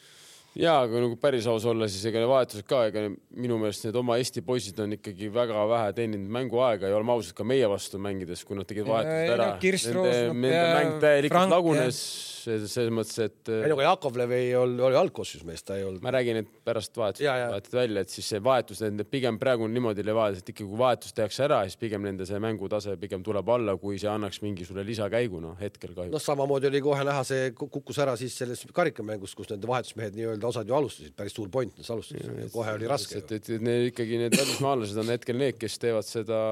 Jaa, aga nagu päris aus olla, siis ega vahetused ka, ega minu meelest need oma Eesti poisid on ikkagi väga vähe teeninud mänguaega ja oleme ausalt ka meie vastu mängides, kui nad tegid vahetused ära. Nende, nende mäng täielikult lagunes selles mõttes, et... Ei, aga Jakovlev ei oli, oli algkossus meest, ta ei olnud. Ma räägin, et pärast vahetused vahetid välja, et siis see vahetus, pigem praegu on niimoodi Levadia, et ikkagi kui vahetus tehakse ära, siis pigem nende see mängutase pigem tuleb alla, kui see annaks mingi sulle lisakäigu, no hetkel kahjuks. No samamoodi oli kohe näha, see kukkus ära siis selles karikamängus, kus nende vahetusmehed nii-öelda osad ju alustasid, päris suur point, nad alustasid, ja, kohe oli raske. Et, et, et need, ikkagi need välismaalased on hetkel need, kes teevad seda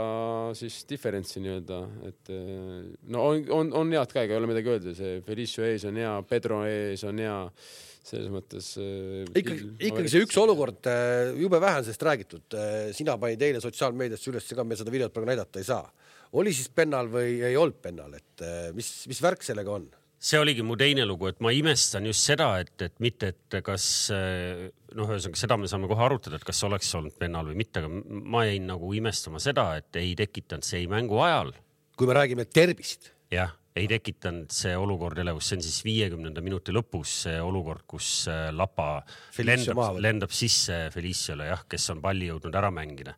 siis differentsi nii-öelda, et no on, on, on head ka, ei ole midagi öelda, see Felicio ees on hea, Pedro ees on hea, selles mõttes... Ikkagi, ikkagi see üks olukord, jube vähe on sellest räägitud, sina panid eile sotsiaalmeediasse üles, ega me seda videot praegu näidata ei saa. Oli siis pennal või ei olnud pennal, et mis, mis värk sellega on? See oligi mu teine lugu, et ma imestan just seda, et, et mitte, et kas, noh, ühesõnaga seda me saame kohe arutada, et kas oleks olnud pennal või mitte, aga ma jäin nagu imestama seda, et ei tekitanud see ei mängu ajal. Kui me räägime terbist. Jah, ei tekitanud see olukord elevust, see on siis viiekümnenda minuti lõpus see olukord, kus Lapa lendab, lendab sisse Feliciole, jah, kes on palli jõudnud ära mängida.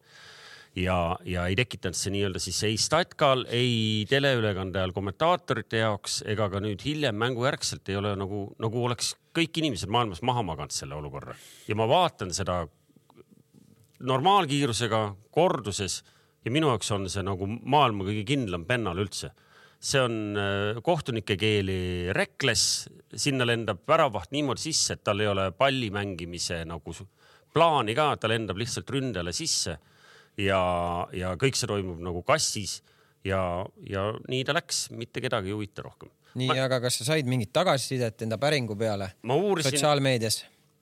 Ja, ja ei tekitanud see nii-öelda siis ei Statkal, ei teleülekande ajal kommentaatorite jaoks, ega ka nüüd hiljem mängujärgselt ei ole nagu, nagu oleks kõik inimesed maailmas maha maganud selle olukorra. Ja ma vaatan seda normaalkiirusega korduses ja minu jaoks on see nagu maailma kõige kindlam pennal üldse. See on kohtunike keeli rekles, sinna lendab väravaht niimoodi sisse, et tal ei ole palli mängimise nagu plaani ka, ta lendab lihtsalt ründele sisse. Ja, ja kõik see toimub nagu kassis ja, ja nii ta läks, mitte kedagi ei huvita rohkem. Nii, ma... aga kas sa said mingit tagasisidet enda päringu peale ma uurisin... sotsiaalmeedias?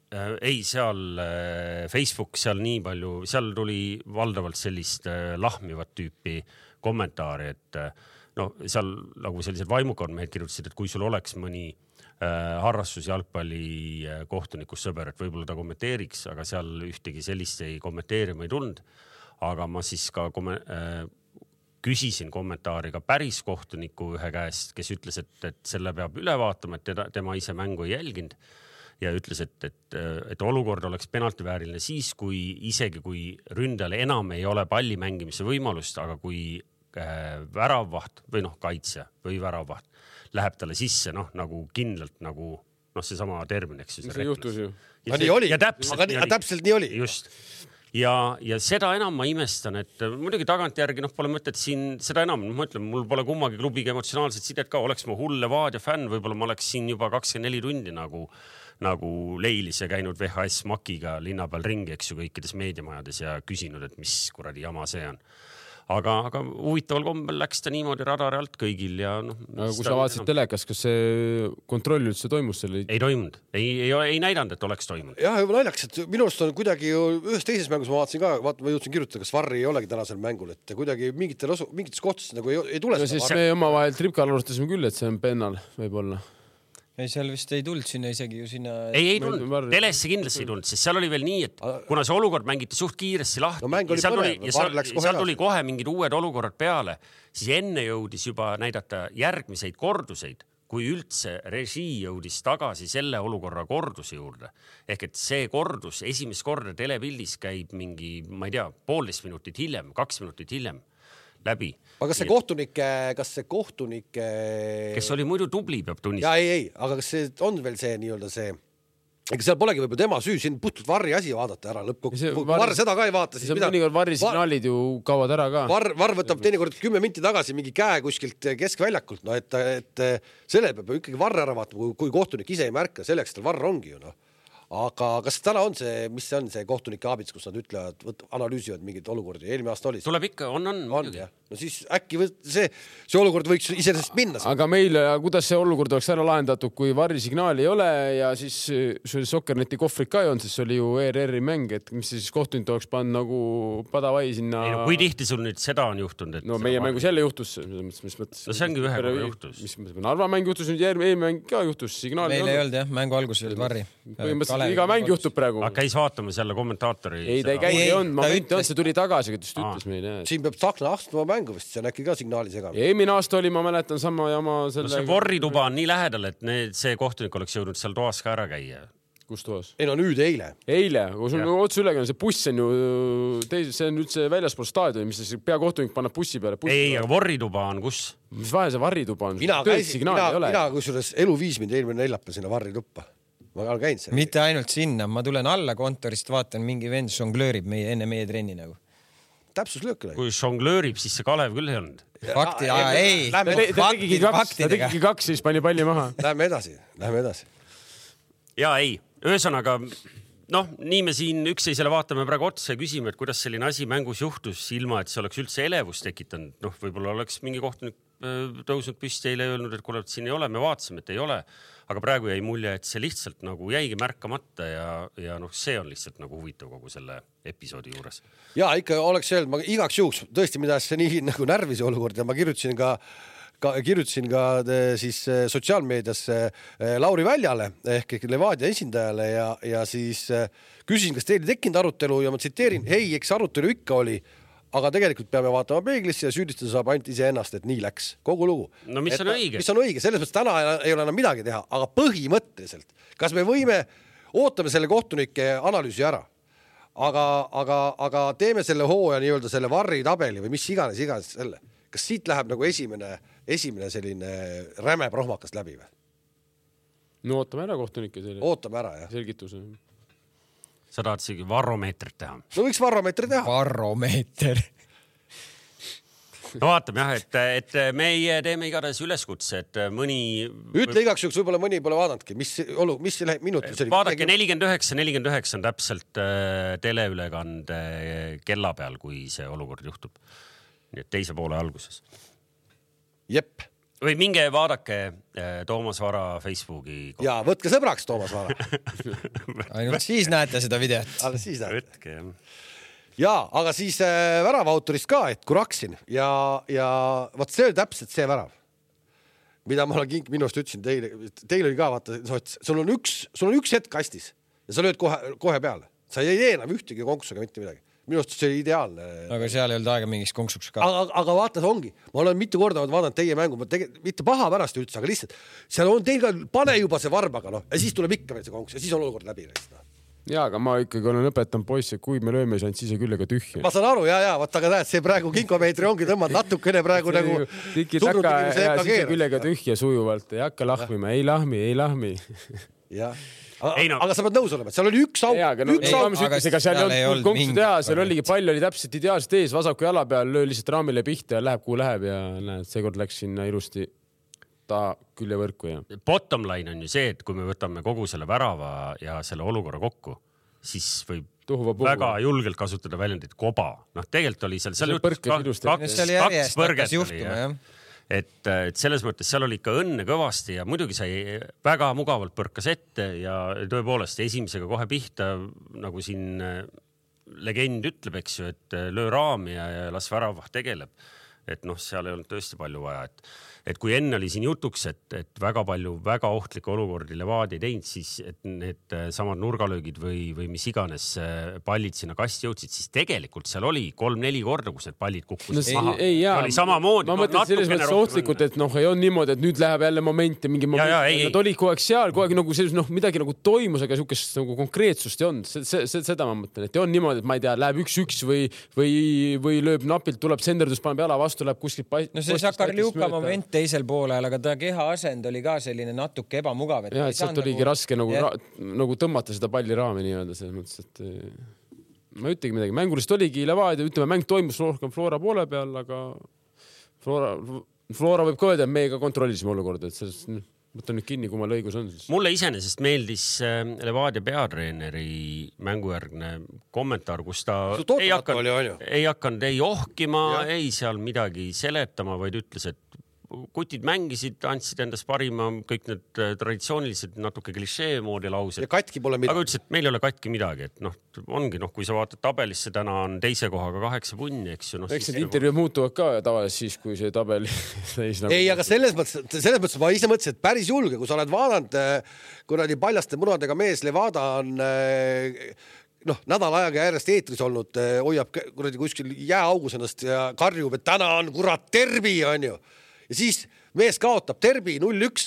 Äh, ei, seal äh, Facebook, seal nii palju, seal tuli valdavalt sellist äh, lahmivat tüüpi kommentaari, et äh, no, seal nagu sellised vaimukad mehed kirjutasid, et kui sul oleks mõni äh, harrastus jalgpalli äh, kohtunikus sõber, et võib-olla ta kommenteeriks, aga seal ühtegi sellist ei kommenteerima ei tulnud. Aga ma siis ka komme, äh, küsisin kommentaari ka päris kohtuniku ühe käest, kes ütles, et, et selle peab üle vaatama, et teda, tema ise mängu ei jälginud ja ütles, et, et, et olukord oleks penaltivääriline siis, kui isegi kui ründajal enam ei ole palli mängimise võimalust, aga kui äh, väravvaht või noh, kaitsja või väravvaht läheb talle sisse, noh, nagu kindlalt nagu noh, see sama termin, eks ju. See juhtus ju. Ja nii oli, aga nii, täpselt nii oli. Just. Ja, ja seda enam ma imestan, et muidugi tagantjärgi noh, pole mõtet siin seda enam, ma ütlen, mul pole kummagi klubiga emotsionaalset sidet ka, oleks ma hull Levadia fänn, võib-olla ma oleks siin juba kakskümmend neli tundi nagu, nagu Leilis ja käinud V H S Makiga linna peal ringi, eks ju, kõikides meediamajades ja küsinud, et mis kuradi jama see on. Aga, aga huvitaval kombel läks ta niimoodi radari alt kõigil ja noh. Aga kui sa vaatasid telekas, kas see kontroll üldse toimus selle? Ei toimunud, ei, ei, ei näidanud, et oleks toimunud. Jah, juba naljaks, et minu arust on kuidagi ühes teises mängus ma vaatasin ka, vaat, ma jõudsin kirjutada, kas Varri ei olegi tänasel mängul, et kuidagi mingitel osu, mingites kohtades nagu ei, ei tule. No siis me oma vahel Tripkal alustasime küll, et see on pennal võib-olla. Ei, seal vist ei tulnud sinna isegi ju sinna... Ei, ei tulnud. Telesse kindlasti ei tulnud, sest seal oli veel nii, et kuna see olukord mängiti suht kiiresti lahti no, ja seal tuli, ja seal, seal tuli kohe mingid uued olukorrad peale, siis enne jõudis juba näidata järgmiseid korduseid, kui üldse režii jõudis tagasi selle olukorra korduse juurde. Ehk et see kordus esimest korda telepildis käib mingi, ma ei tea, poolteist minutit hiljem, kaks minutit hiljem läbi. Aga kas see kohtunike, kas see kohtunike... Kes oli muidu tubli, peab tunnistama. Ja ei, ei, aga kas see on veel see nii-öelda see... Ega seal polegi võib-olla tema süü, siin puhtult Varri asi vaadata ära lõppkokku. Kui Varr seda ka ei vaata, siis see mida... mõnikord Varri signaalid ju kaovad ära ka. Varr, Varr võtab teinekord kümme minti tagasi mingi käe kuskilt keskväljakult, no et, et selle peab ikkagi Varr ära vaatama, kui, kui kohtunik ise ei märka, selleks tal Varr ongi ju, noh. Aga kas täna on see, mis see on see kohtunike abits, kus nad ütlevad, võt, analüüsivad mingid olukordi? Eelmine aasta oli. Tuleb ikka, on, on. on no siis äkki võt, see, see olukord võiks iseenesest minna. Aga meil, kuidas see olukord oleks ära lahendatud, kui Varri signaali ei ole ja siis see Sokkerneti kohvrid ka ei on, siis oli ju E R R-i mäng, et mis siis kohtunik oleks pannud nagu padavai sinna. Ei, no, kui tihti sul nüüd seda on juhtunud? Et no meie mängus jälle juhtus. Mis, mis mõttes, no see ongi ühe korra juhtus. Mis, mis, Narva mäng juhtus, nüüd järgmine mäng ka juhtus. Signaali meil ei olnud jah, mängu alguses oli Varri. Iga mäng juhtub praegu. Aga käis vaatamas jälle kommentaatori. Ei, ta ei käi, ei on, moment on, see tuli tagasi, kes ütles meile. Siin peab Tsahkna astuma mängu vist, see on äkki ka signaali segama. Eelmine aasta oli, ma mäletan sama jama selle... No see vorrituba on nii lähedal, et need, see kohtunik oleks jõudnud seal toas ka ära käia. Kus toas? Ei no nüüd eile. Eile, kui sul otse ülekäin, see buss on ju teis, see on üldse väljaspool staadioni, mis see peakohtunik paneb bussi peale. Bussi ei, aga vorrituba on kus? Mis vahe see varrituba on? Mina, käisin, mina, mina kusjuures elu viis mind eelmine neljapäev sinna varrituppa. Ma olen käinud seal. Mitte ainult sinna, ma tulen alla kontorist, vaatan, mingi vend žonglöörib meie, enne meie trenni nagu. Täpsus löökile. Kui žonglöörib, siis see Kalev küll ei olnud. Fakti, ja, ei. Ta tegigi kaks, ta tegigi kaks, siis pani palli maha. Läheme edasi, läheme edasi. Ja ei, ühesõnaga, noh, nii me siin ükseisele vaatame praegu otsa ja küsime, et kuidas selline asi mängus juhtus ilma, et see oleks üldse elevust tekitanud. Noh, võib-olla oleks mingi kohtunik tõusnud püsti eile öelnud, et kuule, et siin ei ole, me vaatasime, et ei ole. Aga praegu jäi mulje, et see lihtsalt nagu jäigi märkamata ja, ja noh, see on lihtsalt nagu huvitav kogu selle episoodi juures. Ja ikka oleks öelnud, ma igaks juhuks tõesti, mida see nii nagu närvise olukord ja ma kirjutasin ka, ka, kirjutasin ka siis sotsiaalmeedias Lauri Väljale ehk Levadia esindajale ja, ja siis küsisin, kas teil tekkinud arutelu ja ma tsiteerin, hei, eks arutelu ikka oli, aga tegelikult peame vaatama peeglisse ja süüdistada saab ainult iseennast, et nii läks kogu lugu. No mis et, on õige? Mis on õige, selles mõttes täna ei ole enam midagi teha, aga põhimõtteliselt, kas me võime, ootame selle kohtunike analüüsi ära, aga, aga, aga teeme selle hooaja nii-öelda selle varri tabeli või mis iganes, iganes selle. Kas siit läheb nagu esimene, esimene selline räme prohmakas läbi või? No ootame ära kohtunike selle. Ootame ära, jah. Selgituse. Sa tahad sigi varromeetrit teha? No võiks varromeetri teha. Varromeeter. No vaatame jah, et, et meie teeme igatahes üleskutse, et mõni... Ütle igaks juhuks, võib-olla mõni pole vaadanudki, mis, olu, mis minutil see oli? Vaadake nelikümmend üheksa, nelikümmend üheksa on täpselt äh, teleülekande kella peal, kui see olukord juhtub. Nii et teise poole alguses. Jep. Või minge vaadake Toomas Vara Facebooki. Ja võtke sõbraks Toomas Vara. Ainult siis näete seda videot. Alles siis näete. Võtke, jah. Ja, aga siis äh, värava autorist ka, et kui raksin ja, ja vaat see oli täpselt see värav, mida ma olen kink minust ütlesin teile, teil oli ka vaata, sul on üks, sul on üks hetk kastis ja sa lööd kohe, kohe peale. Sa ei tee enam ühtegi konksuga mitte midagi. Minust see oli ideaalne. Aga seal ei olnud aega mingiks konksuks ka. Aga, aga vaata, see ongi. Ma olen mitu korda vaadanud teie mängu, ma tege, mitte paha pärast üldse, aga lihtsalt seal on teil ka, pane juba see varbaga, noh, ja siis tuleb ikka veel see konks ja siis on olukord läbi. No. Jaa, aga ma ikkagi olen õpetanud poisse, kui me lööme saanud, siis ei küllega tühja. Ma saan aru, jaa, jaa, vaata, aga näed, see praegu kinkomeetri ongi tõmmad natukene praegu nagu surnud inimese ja siis küllega tühja sujuvalt, ei hakka lahmima, ei lahmi, ei lahmi. Jah. Ei, no. Aga sa pead nõus olema, et seal oli üks auk. Jaa, aga no, üks auk. Ega seal, seal ei olnud konksu teha, seal oligi palju, oli täpselt ideaalselt ees, vasaku jala peal, löö lihtsalt raamile pihta ja läheb, kuhu läheb ja näed, seekord läks sinna ilusti ta küljevõrku. Ja. Bottom line on ju see, et kui me võtame kogu selle värava ja selle olukorra kokku, siis võib Tuhuva väga julgelt kasutada väljendit koba. Noh, tegelikult oli seal, seal juhtus kaks, kaks, kaks põrget oli. Et, et selles mõttes seal oli ikka õnne kõvasti ja muidugi sai väga mugavalt põrkas ette ja tõepoolest esimesega kohe pihta, nagu siin legend ütleb, eks ju, et löö raami ja, ja las väravah tegeleb. Et noh, seal ei olnud tõesti palju vaja, et et kui enne oli siin jutuks, et, et väga palju väga ohtlikke olukordi Levadia ei teinud, siis et need samad nurgalöögid või, või mis iganes pallid sinna kasti jõudsid, siis tegelikult seal oli kolm-neli korda, kus need pallid kukkusid no, maha. Ei, jaa, oli samamoodi. Ma mõtlen selles mõttes ohtlikult, et noh, ei on niimoodi, et nüüd läheb jälle moment ja mingi moment. Ja, ja, nad olid kogu aeg seal, kogu aeg nagu selles, noh, midagi nagu toimus, aga sihukest nagu konkreetsust ei olnud. See, see, seda ma mõtlen, et ei on niimoodi, et ma ei tea, läheb üks-üks või, või, või lööb napilt, tuleb senderdus, paneb jala vastu, läheb kuskilt pa- no see Sakar Liuka moment teisel poolel, aga ta keha asend oli ka selline natuke ebamugav. Ja, et sealt oligi nagu... raske nagu, ra... nagu tõmmata seda palli raami nii-öelda selles mõttes, et ma ütlegi midagi. Mängulist oligi Levadia, ütleme, mäng toimus rohkem Flora poole peal, aga Flora, Flora võib ka öelda, et meiega kontrollisime olukorda, et selles... Võtan nüüd kinni, kui ma lõigus on. Siis. Mulle iseenesest meeldis Levadia peatreeneri mängujärgne kommentaar, kus ta ei hakanud, ei hakanud ei ohkima, ja. Ei seal midagi seletama, vaid ütles, et kutid mängisid, andsid endast parima, kõik need traditsioonilised natuke klišee moodi laused. Ja katki pole midagi. Aga ütles, et meil ei ole katki midagi, et noh, ongi, noh, kui sa vaatad tabelisse, täna on teise kohaga kaheksa punni, eks ju. No, eks need intervjuud muutuvad ka tavaliselt siis, kui see tabel seis nagu... Ei, aga selles mõttes, selles mõttes ma ise mõtlesin, et päris julge, kui sa oled vaadanud, kuradi paljaste munadega mees, Levada on noh, nädal ajaga järjest eetris olnud, hoiab kuradi kuskil jääaugus ennast ja karjub, et täna on kurat terbi, on ju. Ja siis mees kaotab terbi null üks,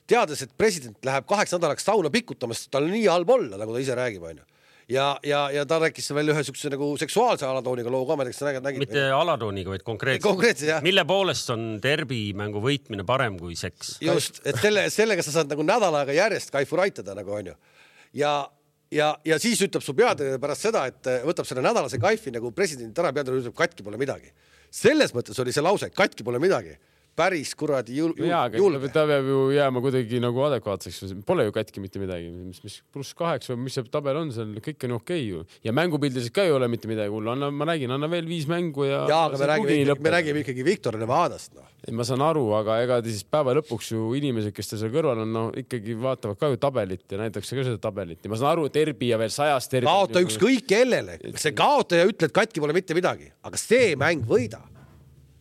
teades, et president läheb kaheks nädalaks sauna pikkutamast, tal on nii halb olla, nagu ta ise räägib, on ju. Ja, ja, ja ta rääkis veel ühe sükse nagu seksuaalse alatooniga loo ka, ma teaks, nägid, nägid. Mitte alatooniga, vaid konkreetselt. Konkreetselt, jah. Mille poolest on terbi mängu võitmine parem kui seks? Just, et selle, sellega sa saad nagu nädal aega järjest kaifu raitada, nagu on ju. Ja, ja, ja siis ütleb su peatreener pärast seda, et võtab selle nädalase kaifi nagu president ära, peatreener ütleb, katki pole midagi. Selles mõttes oli see lause, katki pole midagi. Päris kuradi jul, jul, jaa, julge. Ta peab ju jääma kuidagi nagu adekvaatseks. Pole ju katki mitte midagi. Mis, mis pluss kaheks või mis see tabel on, seal kõik on okei ju. Ja mängupildiselt ka ei ole mitte midagi hullu. Anna, ma räägin, anna veel viis mängu ja... Jaa, aga me räägime, me räägime ikkagi Viktor Nevadast. No. Ma saan aru, aga ega siis päeva lõpuks ju inimesed, kes ta seal kõrval on, no ikkagi vaatavad ka ju tabelit ja näitakse ka seda tabelit. Ja ma saan aru, terbi ja veel sajast terbi. Kaota üks kõik kellele. See kaotaja ütled, katki pole mitte midagi. Aga see mäng võida.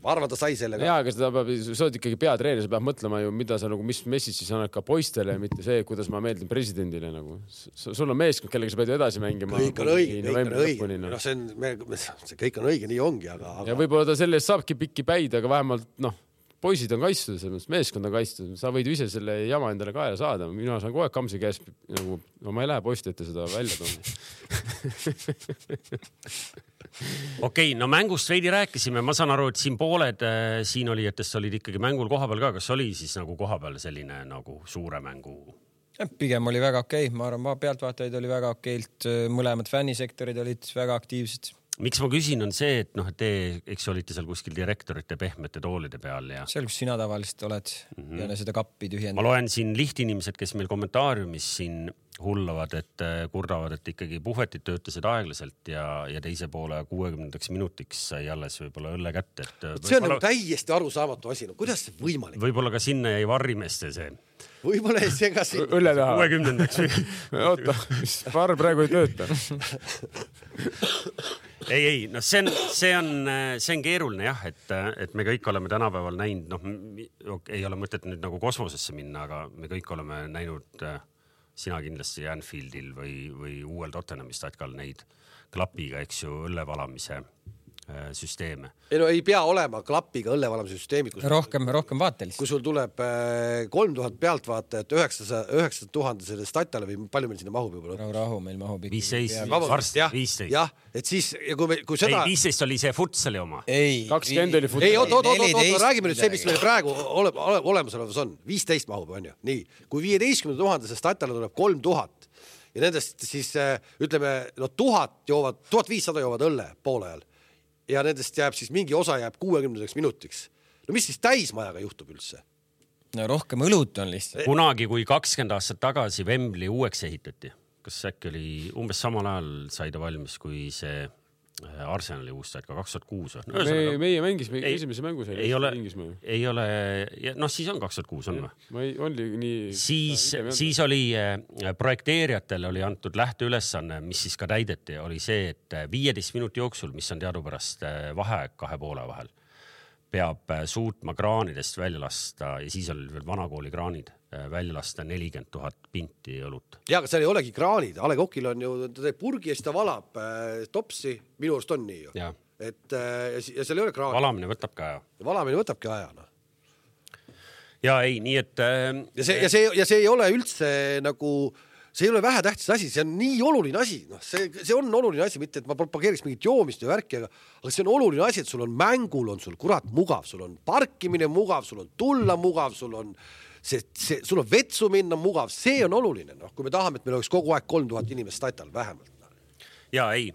ma arvan, ta sai sellega. Jaa, aga seda peab, sa oled ikkagi peatreener, sa peab mõtlema ju, mida sa nagu, mis message siis annad ka poistele, mitte see, kuidas ma meeldin presidendile nagu. Sul on meeskond, kellega sa pead ju edasi mängima. Kõik on õige, kõik on õige. No, see, on, me, see kõik on õige, nii ongi, aga, aga... Ja võib-olla ta selle eest saabki pikki päid, aga vähemalt, noh, poisid on kaitstud, meeskond on kaitstud. Sa võid ise selle jama endale kaela saada. Mina saan kogu aeg Kamsi käes, nagu, no ma ei lähe poisti ette seda välja tooma. Okei, okay, no mängust veidi rääkisime. Ma saan aru, et siin pooled äh, siin olijatest olid ikkagi mängul kohapeal ka. Kas oli siis nagu kohapeal selline nagu suure mängu? Pigem oli väga okei. Okay. Ma arvan, pealtvaatajaid oli väga okeilt. Mõlemad fännisektorid olid väga aktiivsed. Miks ma küsin, on see, et noh, et te, eks olite seal kuskil direktorite pehmete toolide peal ja... Seal, kus sina tavaliselt oled mm-hmm. ja seda kappi tühjendab. Ma loen siin lihtinimesed, kes meil kommentaariumis siin hullavad, et kurdavad, et ikkagi puhvetid töötasid aeglaselt ja, ja teise poole kuuekümnendaks minutiks sai alles võib-olla õlle kätte. Et see on nagu täiesti arusaamatu asi. No, kuidas see võimalik? Võib-olla ka sinna jäi varrimeste see. Võib-olla ei see ka siin. Õlle taha. kuuekümnendaks. Oota, mis var praegu ei tööta. Ei, ei, no see on, see on, see on keeruline jah, et, et me kõik oleme tänapäeval näinud, noh, ei ole mõtet nüüd nagu kosmosesse minna, aga me kõik oleme näinud sina kindlasti Anfieldil või, või uuel Tottenhami statkal neid klapiga, eks ju, õllevalamise süsteeme. Ei, no ei pea olema klapiga õllevalamise süsteemid. Rohkem, rohkem vaatelist. Kui sul tuleb kolm tuhat pealtvaatajat üheksa tuhat selle statale või palju meil sinna mahub juba? Rahu, rahu, meil mahub ikka. viisteist, varsti viisteist. Jah, et siis, ja kui, me, kui seda... Ei, viisteist oli see futsali oma. Ei, kakskümmend oli futsali. Ei, oot, oot, oot, oot, räägime nüüd see, mis meil praegu ole, ole, olemasolevas on. viisteist mahub, on ju. Nii, kui viieteistkümne tuhande see statale tuleb kolm tuhat ja nendest siis, ütleme, no tuhat joovad, tuhat viissada joovad õlle poole ajal. Ja nendest jääb siis mingi osa jääb kuuekümnendaks minutiks. No mis siis täismajaga juhtub üldse? No rohkem õlut on lihtsalt. Kunagi, kui kakskümmend aastat tagasi Wembley uueks ehitati, kas äkki oli umbes samal ajal sai ta valmis, kui see Arsenali uustad ka kaks tuhat kuus. No, me, meie mängisime esimese mängu seal. Ei ole, ei ole, noh siis on kaks tuhat kuus on või? Oli nii... Siis, siis oli projekteerijatele oli antud lähteülesanne, mis siis ka täideti, oli see, et viieteist minuti jooksul, mis on teadupärast vaheaeg kahe poole vahel, peab suutma kraanidest välja lasta ja siis oli veel vanakooli kraanid välja lasta nelikümmend tuhat pinti õlut. Ja, aga seal ei olegi kraanid. A Le Coqil on ju, ta teeb purgi ja siis ta valab äh, topsi. Minu arust on nii ju. Ja. Et, äh, ja seal ei ole kraanid. Valamine võtab ka aja. Ja valamine võtabki aja. No. Ja ei, nii et... Äh, ja, see, ja, see, ja see ei ole üldse nagu... See ei ole vähe tähtis asi, see on nii oluline asi. No, see, see on oluline asi, mitte et ma propageeriks mingit joomist ja värki, aga, aga see on oluline asi, et sul on mängul, on sul kurat mugav, sul on parkimine mugav, sul on tulla mugav, sul on, see, see, sul on vetsu minna mugav, see on oluline. No, kui me tahame, et meil oleks kogu aeg kolm tuhat inimest statal vähemalt. Ja ei,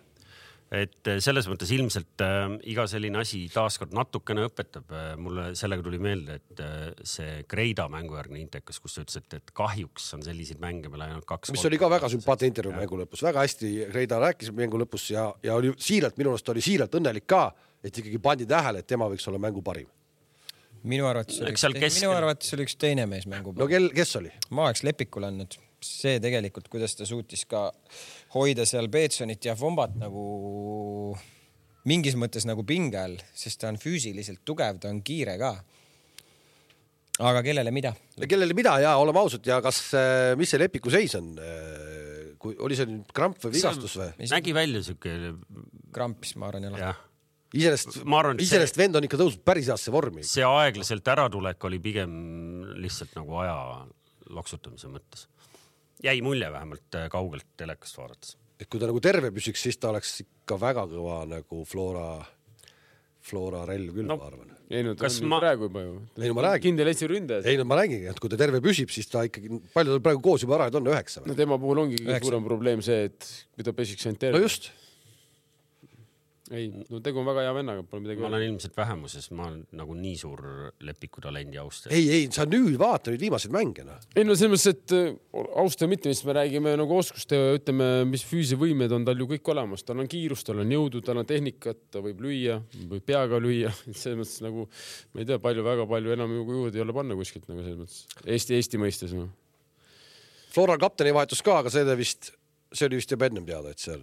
et selles mõttes ilmselt äh, iga selline asi taaskord natukene õpetab. Mulle sellega tuli meelde, et äh, see Kreida mängujärgne intekas, kus sa ütlesid, et kahjuks on selliseid mänge meil ainult kaks. Mis oli ka väga sümpaatne intervjuu mängu lõpus. Väga hästi Kreida rääkis mängu lõpus ja, ja oli siiralt, minu arust oli siiralt õnnelik ka, et ikkagi pandi tähele, et tema võiks olla mängu parim. Minu arvates oli, üks, minu arvates oli üks teine mees mängu parim. No kel, kes oli? Ma oleks Lepikule andnud. See tegelikult, kuidas ta suutis ka hoida seal Peetsonit ja Fombat nagu mingis mõttes nagu pinge all, sest ta on füüsiliselt tugev, ta on kiire ka. Aga kellele mida? Kellele mida ja oleme ausad ja kas, mis see Lepiku seis on? Kui, oli see nüüd kramp või vigastus või? Nägi välja siuke... Krampis, ma arvan, jälle. Iselest, iselest see... vend on ikka tõusnud päris aastase vormi. See aeglaselt äratulek oli pigem lihtsalt nagu aja loksutamise mõttes. Jäi mulje vähemalt kaugelt telekast vaadates. Et kui ta nagu terve püsiks, siis ta oleks ikka väga kõva nagu Flora, Flora relv küll, no, ma arvan. Ei, no ta on ma... praegu juba ju. Ei, no ma räägin. Kindel Eesti ründajas. Ei, no ma räägin, et kui ta terve püsib, siis ta ikkagi, palju ta praegu koos juba ära, et on üheksa. No tema puhul ongi suurem probleem see, et kui ta pesiks ainult terve. No just. Ei, no tegu on väga hea vennaga, pole midagi. Ma olen ilmselt vähemuses, ma olen nagu nii suur Lepiku talendi austaja. Ei, ei, sa nüüd vaata nüüd viimased mängena. Ei, no selles mõttes, et austaja mitte, mis me räägime nagu oskuste, ütleme, mis füüsivõimed on tal ju kõik olemas. Tal on kiirust, tal on jõudu, tal on tehnikat, ta võib lüüa, võib peaga lüüa. Selles mõttes nagu, ma ei tea, palju, väga palju enam juurde ei ole panna kuskilt nagu selles mõttes. Eesti, Eesti mõistes. No. Flora kapteni vahetus ka, aga see, vist, see oli vist juba ennem teada, et seal...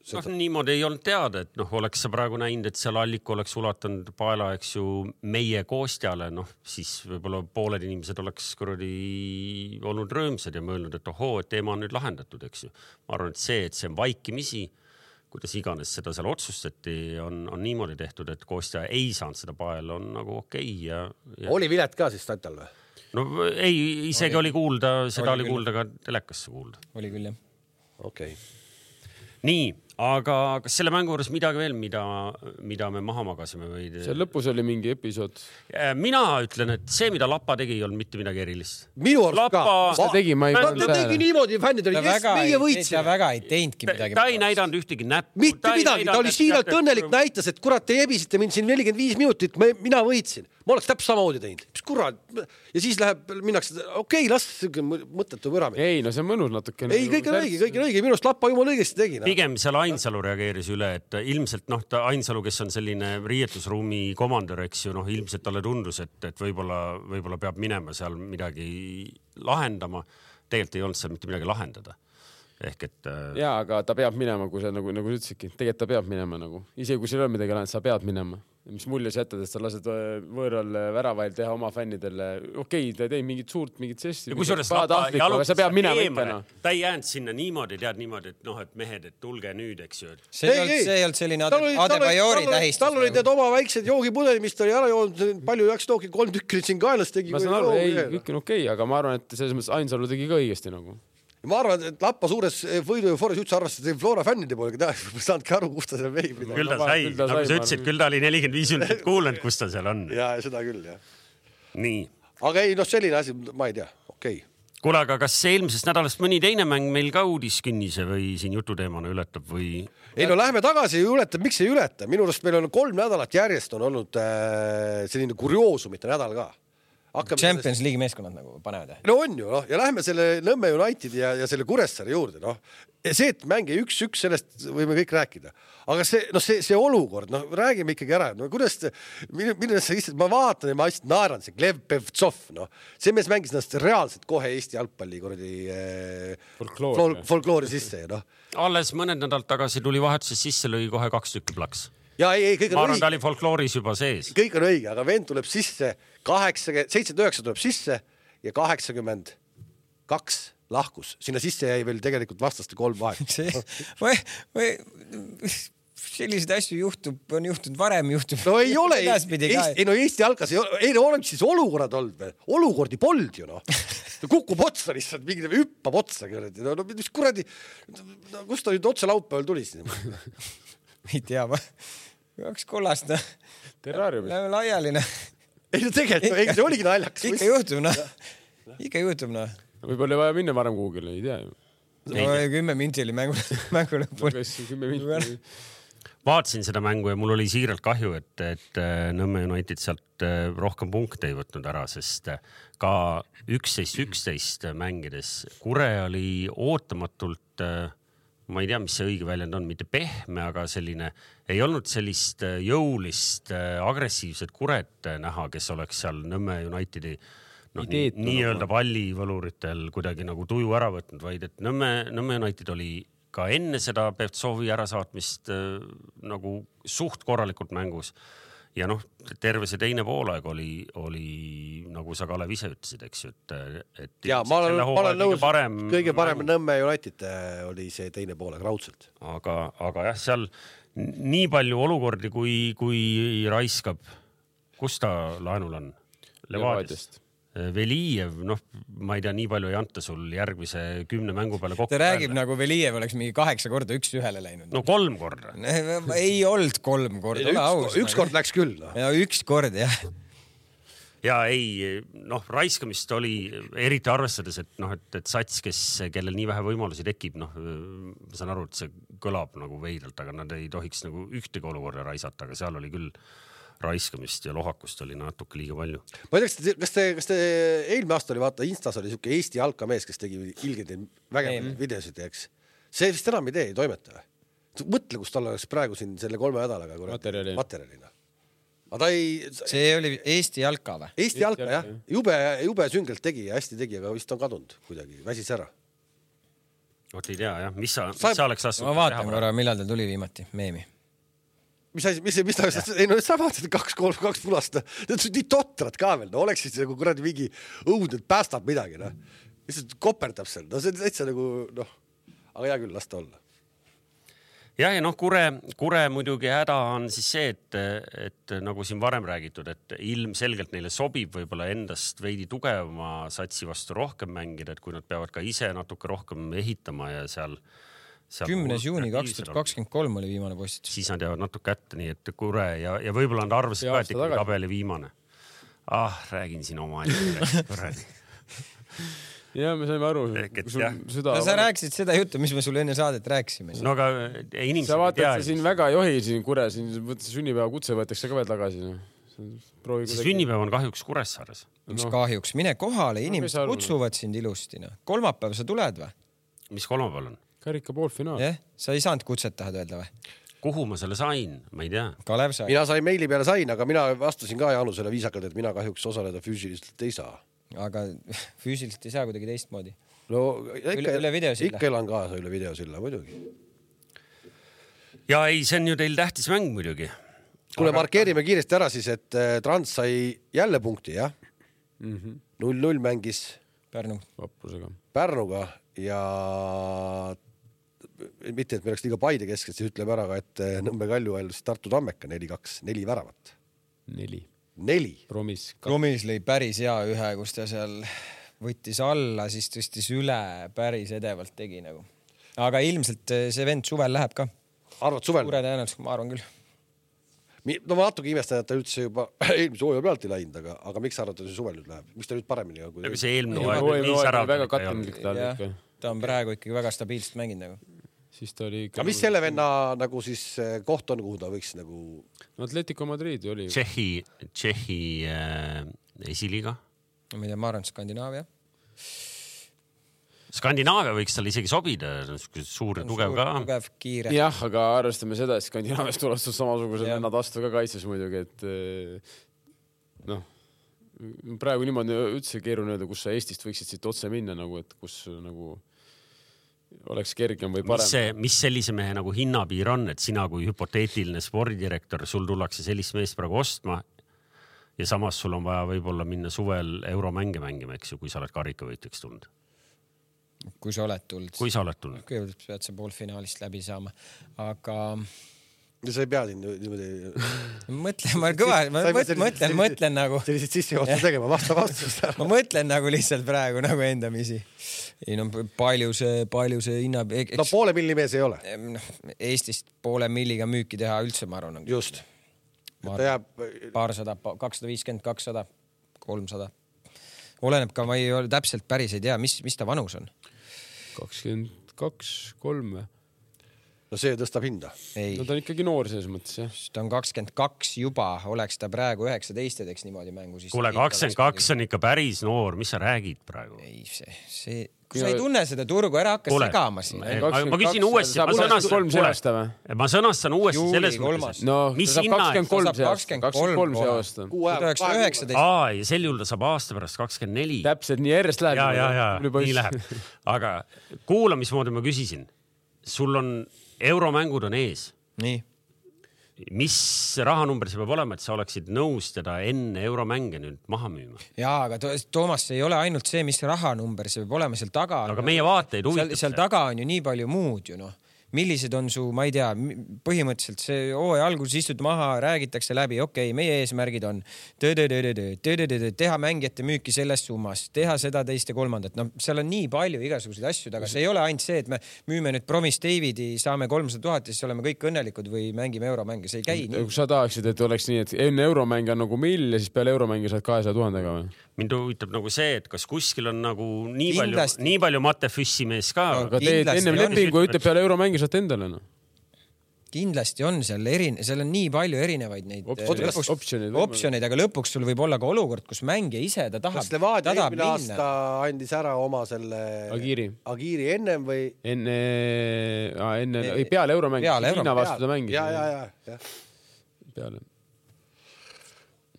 Seda... No, niimoodi ei olnud teada, et noh, oleks sa praegu näinud, et seal Alliku oleks ulatanud paela, eks ju, meie koostjale, noh, siis võib-olla pooled inimesed oleks kuradi olnud rõõmsad ja mõelnud, et ohoo, et teema on nüüd lahendatud, eks ju. Ma arvan, et see, et see on vaikimisi, kuidas iganes seda seal otsustati, on, on niimoodi tehtud, et koostja ei saanud seda paela, on nagu okei okay ja, ja... Oli vilet ka siis Tatal või? No ei, isegi oli, oli kuulda, seda oli, oli kuulda ka telekasse kuulda. Oli küll, jah. Okei. Okay. Nii, aga kas selle mängu juures midagi veel, mida, mida me maha magasime või? See lõpus oli mingi episood. Mina ütlen, et see, mida Lapa tegi, ei olnud mitte midagi erilist. Minu arust Lapa... ka. Ta tegi, ma ei ta tegi niimoodi, fännid oli, kes meie võitsid. Ta väga ei teinudki midagi. Ta ei näidanud ühtegi näppu. Mitte midagi, ta oli siiralt õnnelik, näitas, et kurat, te ebisite mind siin nelikümmend viis minutit, mina võitsin. Ma oleks täpselt samamoodi teinud. Mis kurat? Ja siis läheb, minnakse, okei, okay, las mõttetu võrami. Ei, no see on mõnus natuke. Ei, kõik on õige, kõik on õige. Minust Lappa jumal õigesti tegi. No. Pigem seal Ainsalu reageeris üle, et ilmselt noh, ta Ainsalu, kes on selline riietusruumi komandör, eks ju, noh, ilmselt talle tundus, et, et võib-olla, võib-olla peab minema seal midagi lahendama. Tegelikult ei olnud seal mitte midagi lahendada. Ehk et... Jaa, aga ta peab minema, kui sa nagu, nagu ütlesidki. Tegelikult ta peab minema nagu. Isegi kui seal on midagi lahendada, sa pead minema. Mis mulje sa jätad, et sa lased võõral väravail teha oma fännidele. Okei, ta ei tei mingit suurt, mingit sessi. Ja kui suures Lapa jalutas sa peab minema ikka. Ta ei jäänud sinna niimoodi, tead niimoodi, et noh, et mehed, et tulge nüüd, eks ju. See ei olnud selline Adebayori tähistus. Tal olid need oma väiksed joogipudeli, mis ta oli ära joonud, palju jaks tooki, kolm tükki siin kaelas tegi. Ma saan aru, ei, kõik on okei, aga ma arvan, et selles mõttes Ainsalu tegi ka õigesti nagu. Ma arvan, et Lappa suures võidu ja Foris üldse arvastas, et Flora fännide poole, ta ei saanudki aru, kus ta seal veib. Küll ta sai, nagu sa ütlesid, küll ta oli nelikümmend viis minutit kuulanud, kus ta seal on. Ja, seda küll, jah. Nii. Aga ei, noh, selline asi, ma ei tea, okei. Okay. Kuule, aga kas see eelmisest nädalast mõni teine mäng meil ka uudiskinnise või siin jututeemana ületab või? Ei, no lähme tagasi ja ületab, miks ei ületa? Minu arust meil on kolm nädalat järjest on olnud äh, selline kurioosumite nädal ka. Hakkab Champions League meeskonnad nagu panevad. No on ju, noh, ja lähme selle Nõmme United ja, ja selle Kuressaare juurde, noh. See, et mänge üks-üks, sellest võime kõik rääkida. Aga see, noh, see, see olukord, noh, räägime ikkagi ära. No, kuidas, milles sa istad, ma vaatan ja ma lihtsalt naeran, see Glev Pevtsov, noh. See mees mängis ennast reaalselt kohe Eesti jalgpalli kuradi eh, folkloori. folkloori sisse, noh. Alles mõned nädal tagasi tuli vahetuses sisse, lõi kohe kaks tükki plaks. Ja ei, ei, kõik on ma arvan, õige. Ta oli folklooris juba sees. Kõik on õige, aga vend tuleb sisse, seitsekümmend üheksa tuleb sisse ja kaheksakümmend kaks lahkus. Sinna sisse jäi veel tegelikult vastaste kolm vahet. See, või, või, selliseid asju juhtub, on juhtunud varem, juhtub. No ei ole, Eesti, ei, no Eesti algas, ei no oleks siis olukorrad olnud veel. Olukordi polnud ju, noh. Kukub otsa lihtsalt, mingi hüppab otsa. No, no mis kuradi, no, kus ta nüüd otse laupäeval tuli siin? Ei tea, ma kaks kollast, no. Terrariumis. Läheme laiali, noh. Ei, no tegelikult, ei, see oligi naljakas. Ikka juhtub, noh. Ikka juhtub, noh. Võib-olla vaja minna varem kuhugile, ei tea. No, kümme minti oli mängu, mängu lõpul. Kümme minti. Vaatasin seda mängu ja mul oli siiralt kahju, et, et Nõmme United sealt rohkem punkte ei võtnud ära, sest ka üksteist üksteist mängides Kure oli ootamatult, ma ei tea, mis see õige väljend on, mitte pehme, aga selline, ei olnud sellist jõulist, agressiivset Kuret näha, kes oleks seal Nõmme Unitedi no, nii, nii-öelda pallivõluritel kuidagi nagu tuju ära võtnud, vaid et Nõmme, Nõmme United oli ka enne seda Pevtsovi ärasaatmist äh, nagu suht korralikult mängus. Ja noh, terve see teine poolaeg oli, oli nagu sa Kalev ise ütlesid, eks ju, et, et ja, ma olen, ma olen nõus, parem, kõige parem Nõmme United oli see teine poolaeg raudselt. Aga, aga jah, seal nii palju olukordi, kui, kui raiskab, kus ta laenul on? Levadiast. Velijev, noh, ma ei tea, nii palju ei anta sul järgmise kümne mängu peale kokku. Ta räägib peale. Nagu Velijev oleks mingi kaheksa korda üks ühele läinud. No kolm korda. Ei olnud kolm korda. Üks, aus, üks kord läks küll. No. Ja üks kord, jah. Ja ei, noh, raiskamist oli eriti arvestades, et noh, et, et sats, kes, kellel nii vähe võimalusi tekib, noh, ma saan aru, et see kõlab nagu veidalt, aga nad ei tohiks nagu ühtegi olukorda raisata, aga seal oli küll raiskamist ja lohakust oli natuke liiga palju. Ma ei tea, kas te, kas te eelmine aasta oli, vaata, Instas oli siuke Eesti jalkamees, kes tegi ilgeid vägevaid videosid, eks. See vist enam ei tee, ei toimeta. Mõtle, kus tal oleks praegu siin selle kolme nädalaga materjalina. materjalina. Aga ta ei... See oli Eesti jalka või? Eesti jalka, jah. Jube, jube süngelt tegi ja hästi tegi, aga vist on kadunud kuidagi, väsis ära. Vot ei tea, jah. Mis sa, mis sa, sa oleks lasknud? Ma vaatan korra, millal ta tuli viimati, meemi. Mis, mis, mis ta, ei no sa vaatasid kaks, kolm, kaks pulast. Need on nii totrad ka veel. No oleks siis nagu kuradi mingi õud, et päästab midagi. No. Mis koperdab seal? No see on täitsa nagu, noh, aga hea küll, lasta olla. Ja, ja noh, kure, kure muidugi häda on siis see, et, et nagu siin varem räägitud, et ilmselgelt neile sobib võib-olla endast veidi tugevama satsi vastu rohkem mängida, et kui nad peavad ka ise natuke rohkem ehitama ja seal, seal kümnes juuni kaks tuhat kakskümmend kolm oli viimane postitus. Siis nad jäävad natuke kätte, nii et kure ja, ja võib-olla nad arvasid ka, et ikka tabeli viimane. Ah, räägin siin oma asja. Ja me saime aru. No, sa rääkisid seda juttu, mis me sulle enne saadet rääkisime. No aga inimesed sa vaatad, et siin väga ei johi siin Kure, siin sünnipäeva kutse võetakse ka veel tagasi. See sünnipäev on kahjuks Kuressaares. Mis no. kahjuks? Mine kohale, inimesed no, kutsuvad sind ilusti. No. Kolmapäev sa tuled või? Mis kolmapäeval on? Karika poolfinaal. Eh? Sa ei saanud kutset, tahad öelda või? Kuhu ma selle sain? Ma ei tea. Kalev sai. Mina sain meili peale sain, aga mina vastasin ka Jaanusele viisakalt, et mina kahjuks osaleda füüsiliselt ei saa. Aga füüsiliselt ei saa kuidagi teistmoodi. No ikka, üle, üle videosilla. Ikka elan kaasa üle videosilla, muidugi. Ja ei, see on ju teil tähtis mäng muidugi. Kuule, aga... markeerime kiiresti ära siis, et Trans sai jälle punkti, jah? null null mm-hmm. mängis Pärnu. Vaprusega. Pärnuga ja mitte, et me oleks liiga Paide keskelt, siis ütleme ära, et Nõmme Kalju ajal Tartu Tammeka neli kaks, neli väravat. Neli. Neli. Promis. Promis lõi päris hea ühe, kus ta seal võttis alla, siis tõstis üle, päris edevalt tegi nagu. Aga ilmselt see vend suvel läheb ka. Arvad suvel? Suure tõenäoliselt, ma arvan küll. No ma natuke imestan, et ta üldse juba eelmise hooaja pealt ei läinud, aga, aga miks sa arvad, et see suvel nüüd läheb? Miks ta nüüd paremini? Kui... Aga see eelmine hooaja nii särav. Väga katendlik ta oli. Ta on praegu ikkagi väga stabiilselt mänginud nagu. Siis ta oli aga mis selle venna nagu siis koht on, kuhu ta võiks nagu... Atletico Madrid oli. Tšehhi, Tšehhi äh, esiliiga. Ma ei tea, ma arvan, Skandinaavia. Skandinaavia võiks tal isegi sobida, suur ja tugev ka. Tugev, kiire. Jah, aga arvestame seda, et Skandinaaviast tulastud samasugused vennad astu ka kaitses muidugi, et noh, praegu niimoodi üldse keeruline öelda, kus sa Eestist võiksid siit otse minna, nagu, et kus nagu... oleks kergem või parem. Mis, see, mis sellise mehe nagu hinnapiir on, et sina kui hüpoteetiline spordidirektor, sul tullakse sellist meest praegu ostma ja samas sul on vaja võib-olla minna suvel euromänge mängima, eks ju, kui sa oled karikavõitjaks tulnud? Kui sa oled tulnud. Kui sa oled tulnud. Kõigepealt pead sa poolfinaalist läbi saama, aga... Ja sa ei pea siin niimoodi... Mõtlen, ma kõva, ma mõtlen, mõtlen, mõtlen nagu... Sellised sissejuhatud tegema, vasta vastust. Ma mõtlen nagu lihtsalt praegu nagu endamisi. Ei no palju see, palju see hinna... Eks... No poole milli mees ei ole. Eestist poole milliga müüki teha üldse, ma arvan. Just. Ma arvan, jääb... Paarsada, kakssada viiskümmend, kakssada, kolmsada. Oleneb ka, ma ei ole täpselt päris ei tea, mis, mis ta vanus on. kakskümmend kaks, kolm või? No see tõstab hinda. Ei. No ta on ikkagi noor selles mõttes, jah. Ta on kakskümmend kaks juba, oleks ta praegu üheksateist ja teeks niimoodi mängu. Kuule, kakskümmend kaks on ikka päris noor, mis sa räägid praegu? Ei, see, see... Kui sa ei tunne seda turgu, ära hakka Kuule, segama siin. Ma, ma küsin uuesti, ma sõnastan, ma sõnastan uuesti selles mõttes. No, mis hinna? kakskümmend kolm see aasta. Aa, ja sel juhul ta saab aasta pärast kakskümmend neli. Täpselt, nii järjest läheb. Ja, ja, ja, nii läheb. Aga kuula, mismoodi ma küsisin. Sul on euromängud on ees. Nii. Mis rahanumber see peab olema, et sa oleksid nõus teda enne euromänge nüüd maha müüma? Jaa, aga Toomas, see ei ole ainult see, mis rahanumber, see peab olema seal taga. Aga meie vaateid huvitab. Seal, seal taga on ju nii palju muud ju noh. Millised on su, ma ei tea, põhimõtteliselt see hooaja alguses istud maha, räägitakse läbi, okei, okay, meie eesmärgid on teha mängijate müüki selles summas, teha seda teist ja kolmandat. No seal on nii palju igasuguseid asju, aga see ei ole ainult see, et me müüme nüüd Promis Davidi, saame kolmsada tuhat ja siis oleme kõik õnnelikud või mängime euromänge. See ei käi nii. Kui sa tahaksid, et oleks nii, et enne euromänge on nagu mill ja siis peale euromänge saad kahesaja tuhandega või? Mind huvitab nagu see, et kas kuskil on nagu nii palju, nii palju Matefüssi mees ka. Aga teed ennem lepingu ütleb peale euromängi saad endale. No. Kindlasti on seal erine, seal on nii palju erinevaid neid lõpuks, optsioneid, optsioneid, aga lõpuks sul võib olla ka olukord, kus mängija ise ta tahab. Kas Levadia eelmine aasta andis ära oma selle Agiiri, Agiiri ennem või? Enne, enne e... peale euromängi. Peale Hiina vastu ta mängis. Ja, ja, ja, ja. Peale.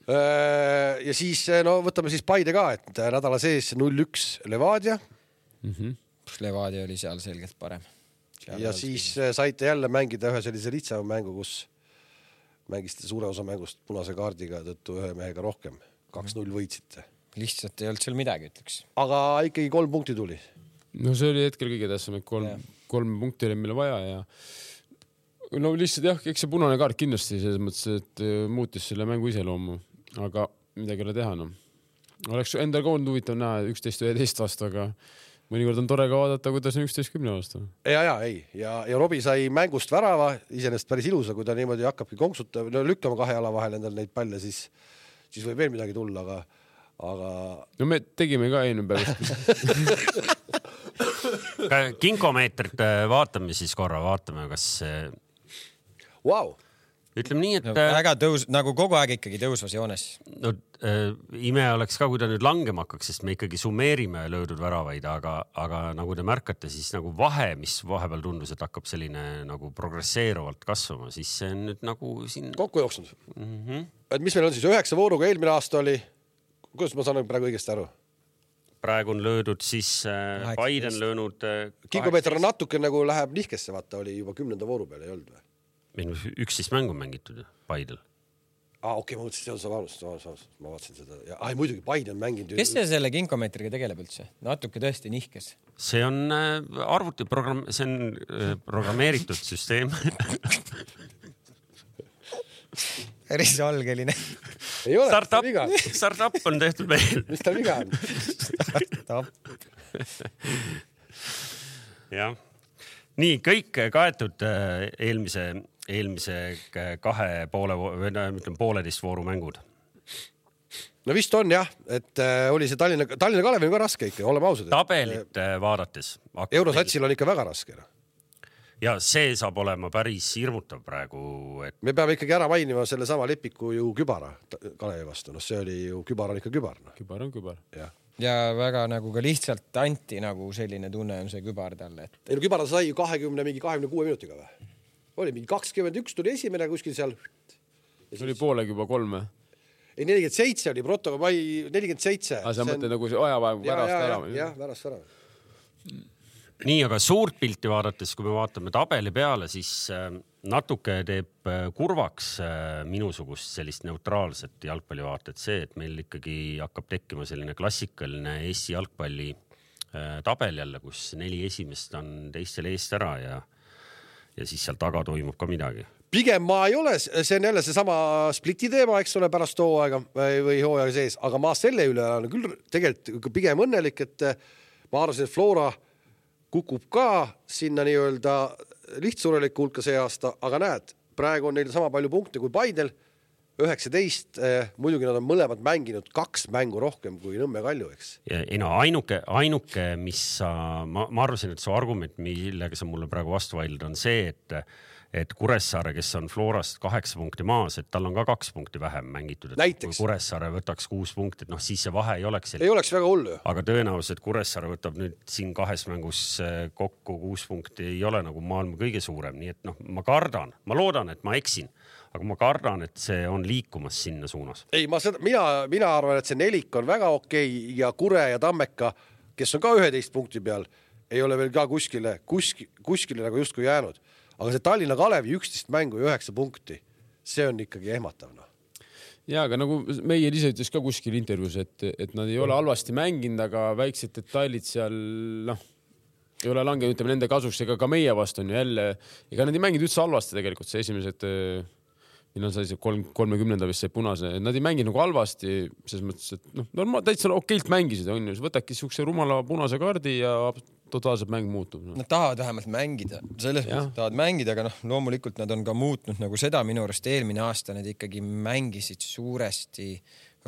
Ja siis no võtame siis Paide ka, et nädala sees null üks Levadia, mm-hmm. Levadia oli seal selgelt parem. Seal ja siis küsimus. Saite jälle mängida ühe sellise lihtsama mängu, kus mängisite suure osa mängust punase kaardiga tõttu ühe mehega rohkem. kaks null võitsite. Lihtsalt ei olnud seal midagi, ütleks. Aga ikkagi kolm punkti tuli. No see oli hetkel kõige tähtsam, et kolm, kolm punkti oli meile vaja ja no lihtsalt jah, eks see punane kaart kindlasti selles mõttes, et muutis selle mängu iseloomu, aga midagi ei ole teha. No. Oleks endal ka olnud huvitav näha üksteist üheteist vastu, aga mõnikord on tore ka vaadata, kuidas on üksteist kümne vastu. Ja, ja, ei. Ja, ja Robi sai mängust värava, iseenesest päris ilusa, kui ta niimoodi hakkabki konksuta, no lükkama kahe jala vahel endal neid palle, siis, siis võib veel midagi tulla, aga, aga... No me tegime ka enne pärast. Kinkomeetrit vaatame siis korra, vaatame, kas... Wow. Ütleme nii, et... No, väga tõus, nagu kogu aeg ikkagi tõusvas joones. No, äh, ime oleks ka, kui ta nüüd langema hakkaks, sest me ikkagi summeerime löödud väravaid, aga, aga nagu te märkate, siis nagu vahe, mis vahepeal tundus, et hakkab selline nagu progresseeruvalt kasvama, siis see on nüüd nagu siin... Kokku jooksnud. Mm-hmm. Et mis meil on siis üheksa vooruga, eelmine aasta oli... Kuidas ma saan praegu õigesti aru? Praegu on löödud siis äh, Biden löönud... Äh, Kinkomeeter on natuke nagu läheb nihkesse, vaata, oli juba kümnenda vooru peale ei olnud või? üksteist mängu on mängitud Biden. Ah, okei, okay, ma mõtlesin, see on valus, valus, ma vaatasin seda. Ja, ai, muidugi Biden mänginud. Kes see selle kinkomeetriga tegeleb üldse? Natuke tõesti nihkes. See on äh, arvuti program... See on äh, programmeeritud süsteem. Päris algeline. Ei ole, startup, startup on tehtud meil. Mis ta viga on? Startup. Jah. Nii, kõik kaetud eelmise, eelmise kahe poole, või ütleme pooleteist vooru mängud. No vist on jah, et äh, oli see Tallinna, Tallinna Kalev on ka raske ikka, oleme ausad. Tabelit äh, vaadates. Eurosatsil on ikka väga raske. Ja see saab olema päris hirmutav praegu. Et... Me peame ikkagi ära mainima selle sama Lepiku ju Kübara Kalevi vastu. No see oli ju Kübar on ikka Kübar. No. Kübar on Kübar. Ja. ja väga nagu ka lihtsalt anti nagu selline tunne on see Kübar talle. Et... Ei no Kübar sai ju kahekümne, mingi kahekümne kuue minutiga või? Oli mingi kakskümmend üks tuli esimene kuskil seal. See oli poolega juba kolme. Ei, nelikümmend seitse oli proto, ma ei, nelikümmend seitse. Aga sa mõtled nagu see ajavaev värast ära? Jah, värast ära. Nii, aga suurt pilti vaadates, kui me vaatame tabeli peale, siis natuke teeb kurvaks minusugust sellist neutraalset jalgpallivaatet see, et meil ikkagi hakkab tekkima selline klassikaline Eesti jalgpalli tabel jälle, kus neli esimest on teistel eest ära ja, ja siis seal taga toimub ka midagi. Pigem ma ei ole, see on jälle see sama spliti teema, eks ole, pärast hooaega või hooaega sees, aga ma selle üle olen küll tegelikult pigem õnnelik, et ma arvasin, et Flora kukub ka sinna nii-öelda lihtsureliku hulka see aasta, aga näed, praegu on neil sama palju punkte kui Paidel, üheksateist, eh, muidugi nad on mõlemad mänginud kaks mängu rohkem kui Nõmme Kalju, eks. Ja, ei no ainuke, ainuke, mis sa, ma, ma arvasin, et su argument, millega sa mulle praegu vastu vaidled, on see, et et Kuressaare, kes on Florast kaheksa punkti maas, et tal on ka kaks punkti vähem mängitud. Et näiteks. Kui Kuressaare võtaks kuus punkti, et noh, siis see vahe ei oleks. Ei oleks väga hullu. Aga tõenäoliselt Kuressaare võtab nüüd siin kahes mängus kokku kuus punkti ei ole nagu maailma kõige suurem. Nii et noh, ma kardan, ma loodan, et ma eksin, aga ma kardan, et see on liikumas sinna suunas. Ei, ma seda, mina, mina arvan, et see nelik on väga okei ja Kure ja Tammeka, kes on ka üheteist punkti peal, ei ole veel ka kuskile, kuskile, kuskile nagu justkui jäänud. Aga see Tallinna Kalevi üksteist mängu ja üheksa punkti, see on ikkagi ehmatav. No. Ja, aga nagu meie ise ütles ka kuskil intervjuus, et, et nad ei ole halvasti mänginud, aga väiksed detailid seal, noh, ei ole langenud, ütleme, nende kasuks, ega ka meie vastu on ju jälle, ega nad ei mänginud üldse halvasti tegelikult, see esimesed, millal sai see kolm, kolmekümnenda vist see punase, nad ei mänginud nagu halvasti, selles mõttes, et noh, normaal, täitsa okeilt mängisid, on ju, võtadki sihukese rumala punase kaardi ja totaalselt mäng muutub. No. Nad tahavad vähemalt mängida, selles mõttes tahavad mängida, aga noh, loomulikult nad on ka muutnud nagu seda minu arust eelmine aasta, need ikkagi mängisid suuresti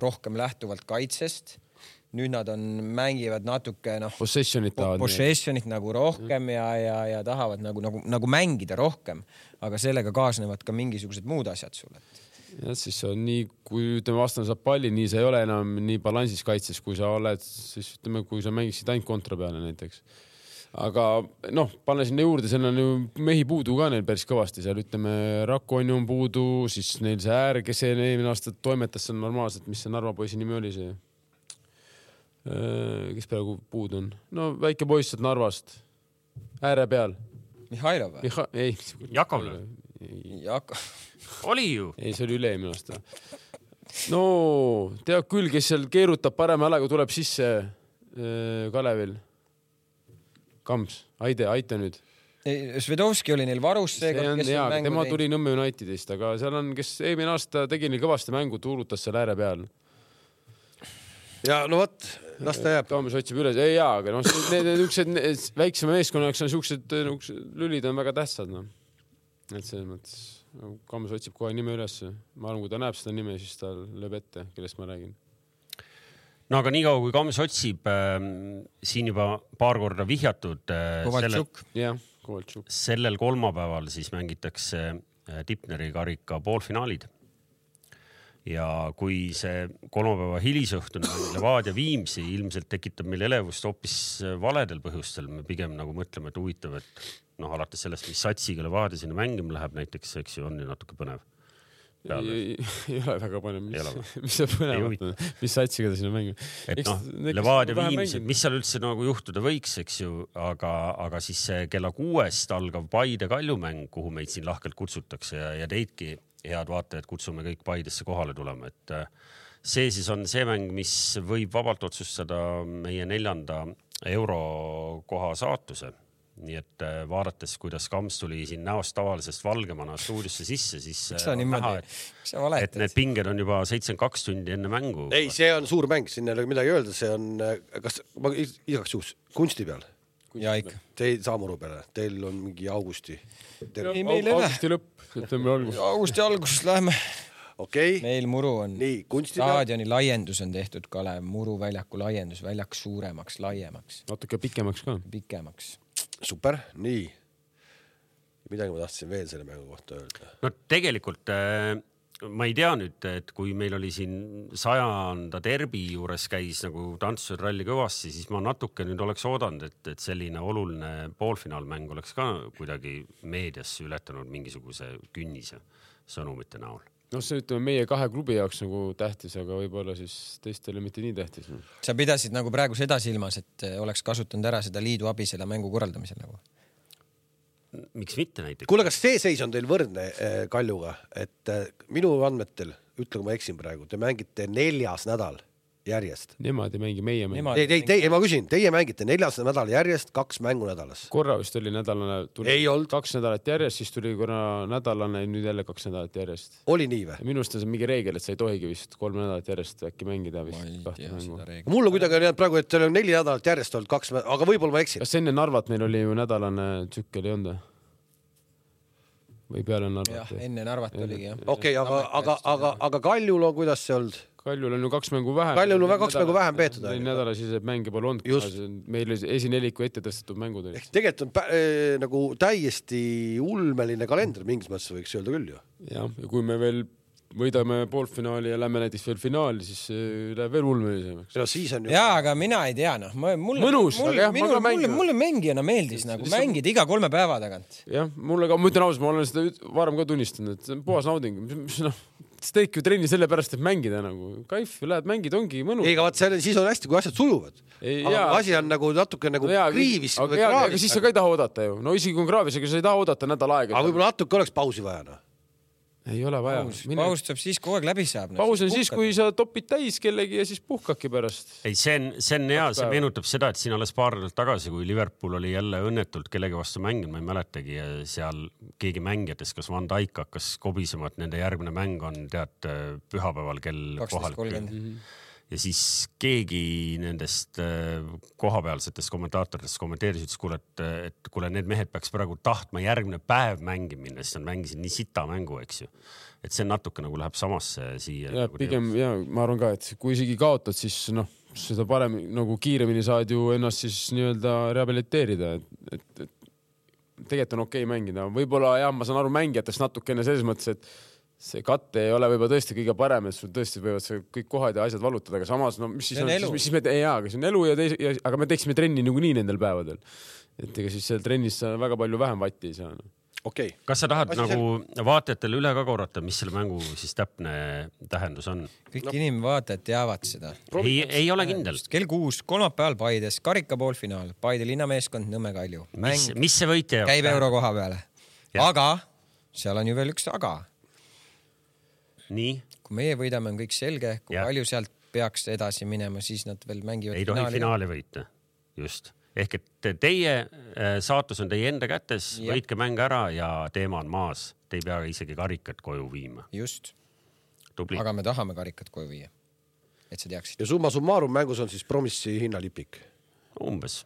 rohkem lähtuvalt kaitsest. Nüüd nad on, mängivad natuke noh, possessionit, tahavad, possessionit nagu rohkem ja, ja, ja tahavad nagu, nagu, nagu mängida rohkem, aga sellega kaasnevad ka mingisugused muud asjad sulle. Ja siis on nii, kui ütleme vastane saab palli, nii sa ei ole enam nii balansis kaitses, kui sa oled, siis ütleme, kui sa mängiksid ainult kontra peale näiteks. Aga noh, panne sinna juurde, seal on ju mehi puudu ka neil päris kõvasti, seal ütleme Rakoni on puudu, siis neil see äär, kes eelmine aasta toimetas, see on normaalselt, mis see Narva poisi nimi oli see? kes praegu puud on? No väike poiss sealt Narvast. Ääre peal. Mihhailov või? Miha... Ei. Jakov. Jakov. Oli ju. Ei, see oli üle-eelmine aasta. No, tead küll, kes seal keerutab parema häälega, tuleb sisse Kalevil. Kams, aide, aita nüüd. Svedovski oli neil varus seega, kes on mängu tema tuli Nõmme Unitedist, aga seal on, kes eelmine aasta tegi neil kõvasti mängu, tuurutas seal ääre peal. Ja no võt, las ta jääb. Toomas otsib üles. Ei jaa, aga no, need, need, need väiksema meeskonnaks on siuksed lülid on väga tähtsad. No. Et selles mõttes, Kams otsib kohe nime üles. Ma arvan, kui ta näeb seda nime, siis ta lööb ette, kellest ma räägin. No aga nii kaua, kui Kams otsib, äh, siin juba paar korda vihjatud. Äh, Kovaltšuk. Jah. Sellel kolmapäeval siis mängitakse Tipneri karika poolfinaalid. Ja kui see kolmapäeva hilisõhtune Levadia Viimsi ilmselt tekitab meil elevust hoopis valedel põhjustel, me pigem nagu mõtleme, et huvitav, et noh, alates sellest, mis satsiga Levadia sinna mängima läheb näiteks, eks ju, on ju natuke põnev. Ei, ei ole väga palju, mis, mis see põnevat on, mis satsiga ta sinna mängib. Et noh, Levadia Viimsed, mis seal üldse nagu juhtuda võiks, eks ju, aga, aga siis see kella kuuest algav Paide Kaljumäng, kuhu meid siin lahkelt kutsutakse ja, ja teidki head vaatajad kutsume kõik Paidesse kohale tulema, et see siis on see mäng, mis võib vabalt otsustada meie neljanda eurokoha saatuse. Nii et vaadates, kuidas Kams tuli siin näost tavalisest valgemana stuudiosse sisse, siis on näha, et, et need pinged on juba seitsekümmend kaks tundi enne mängu. Ei, see on suur mäng, siin ei ole midagi öelda, see on, kas ma igaks juhus, kunsti peal? Ja ikka. Teil saamuru peale, teil on mingi augusti. Teil... Ei, meil ei augusti lõpp, septembri algus. Augusti alguses läheme. Okay. Meil muru on. Nii, kunsti staadioni laiendus on tehtud Kalev, muru väljaku laiendus, väljak suuremaks, laiemaks. Natuke pikemaks ka. Pikemaks. Super, nii. Midagi ma tahtsin veel selle mängu kohta öelda. No tegelikult äh, ma ei tea nüüd, et kui meil oli siin sajanda derbi juures käis nagu Tantsused ralli kõvasti, siis ma natuke nüüd oleks oodanud, et, et selline oluline poolfinaalmäng oleks ka kuidagi meediasse ületanud mingisuguse künnise sõnumite näol. No see ütleme meie kahe klubi jaoks nagu tähtis, aga võib-olla siis teistele mitte nii tähtis. Sa pidasid nagu praegu seda silmas, et oleks kasutanud ära seda liidu abi selle mängu korraldamisel nagu? Miks mitte näiteks? Kuule, kas see seis on teil võrdne Kaljuga, et minu andmetel, ütle, kui ma eksin praegu, te mängite neljas nädal järjest. Nemad ei mängi, meie mängi. Ei, ei, teie, ma küsin, teie mängite neljas nädal järjest kaks mängu nädalas. Korra vist oli nädalane, tuli ei olnud. Kaks nädalat järjest, siis tuli korra nädalane, nüüd jälle kaks nädalat järjest. Oli nii või? Minust on see mingi reegel, et sa ei tohigi vist kolm nädalat järjest äkki mängida. Mul on kuidagi on praegu, et teil on neli nädalat järjest olnud kaks, aga võib-olla ma eksin. Kas enne Narvat meil oli ju nädalane tsükkel ei olnud? Või peale Narvat? Jah, enne Narvat oligi, jah. Okei, aga, aga, aga, aga Kaljul on kuidas see olnud? Kaljul on ju kaks mängu vähem. Kaljul on kaks mängu vähem peetud. Nädala siis mänge pole olnud. Meil esineliku ette tõstetud mängud. Ehk tegelikult on pä- äh, nagu täiesti ulmeline kalender, mingis mõttes võiks öelda küll ju. Jah, ja kui me veel võidame poolfinaali ja lähme näiteks veel finaali, siis läheb veel ulmelisemaks. No, siis on ju... Jaa, aga mina ei tea, noh. Mulle, Mõnus, mulle, aga jah, minu, ma ka mulle, mulle mängijana meeldis nagu mängida iga kolme päeva tagant. Jah, mulle ka, ma ütlen ausalt, ma olen seda varem ka tunnistanud, et see on puhas nauding. Noh, sa teedki ju trenni selle pärast, et mängida nagu. Kaif, lähed mängid, ongi mõnus. Ei, aga vaat see, siis on hästi, kui asjad sujuvad. Ei, aga jaa. Asi on nagu natuke nagu no, jaa, kriivis. Aga, jaa, aga siis sa ka ei taha oodata ju. No isegi kui kraavis, aga sa ei taha oodata nädal aega. Aga võib-olla natuke oleks pausi vaja. Ei ole vaja. Paus, paus saab siis kogu aeg läbi saab. Paus on siis, kui sa topid täis kellegi ja siis puhkaki pärast. Ei, see on, see on hea, see meenutab seda, et siin alles paar nädalat tagasi, kui Liverpool oli jälle õnnetult kellegi vastu mänginud, ma ei mäletagi, ja seal keegi mängijatest, kas Van Dijk hakkas kobisema, et nende järgmine mäng on tead pühapäeval kell kohal. Ja siis keegi nendest kohapealsetest kommentaatoritest kommenteeris, ütles, kuule, et, et kuule, need mehed peaks praegu tahtma järgmine päev mängi minna, sest nad mängisid nii sita mängu, eks ju. Et see natuke nagu läheb samasse siia. Ja, nagu pigem, ja, ma arvan ka, et kui isegi kaotad, siis noh, seda parem nagu kiiremini saad ju ennast siis nii-öelda rehabiliteerida. Et, et, et tegelikult on okei mängida. Võib-olla jah, ma saan aru mängijatest natukene selles mõttes, et see katte ei ole võib-olla tõesti kõige parem, et sul tõesti võivad see kõik kohad ja asjad valutada, aga samas, no mis siis on, on siis, siis me, ei, jaa, aga see on elu ja teise, ja, aga me teeksime trenni nagu nii nendel päevadel. Et ega siis seal trennis sa väga palju vähem vatti ei saa. No. Okay. Kas sa tahad Asi nagu sel... vaatajatele üle ka korrata, mis selle mängu siis täpne tähendus on? Kõik no. inimvaatajad teavad seda. Ei, ei ole kindel. Kell kuus, kolmapäeval Paides, karika poolfinaal, Paide linnameeskond, Nõmme Kalju. Mis, mis see võitja jaoks? Käib euro koha peale. Ja. Aga seal on ju veel üks aga. Nii? Kui meie võidame, on kõik selge. Kui ja. palju sealt peaks edasi minema, siis nad veel mängivad ei finaali. Ei tohi finaali võita. Just. Ehk et teie saatus on teie enda kätes, ja. võitke mäng ära ja teema on maas. Te ei pea isegi karikat koju viima. Just. Tubli. Aga me tahame karikat koju viia. Et sa teaksid. Ja summa summarum mängus on siis Promissi hinnalipik. Umbes.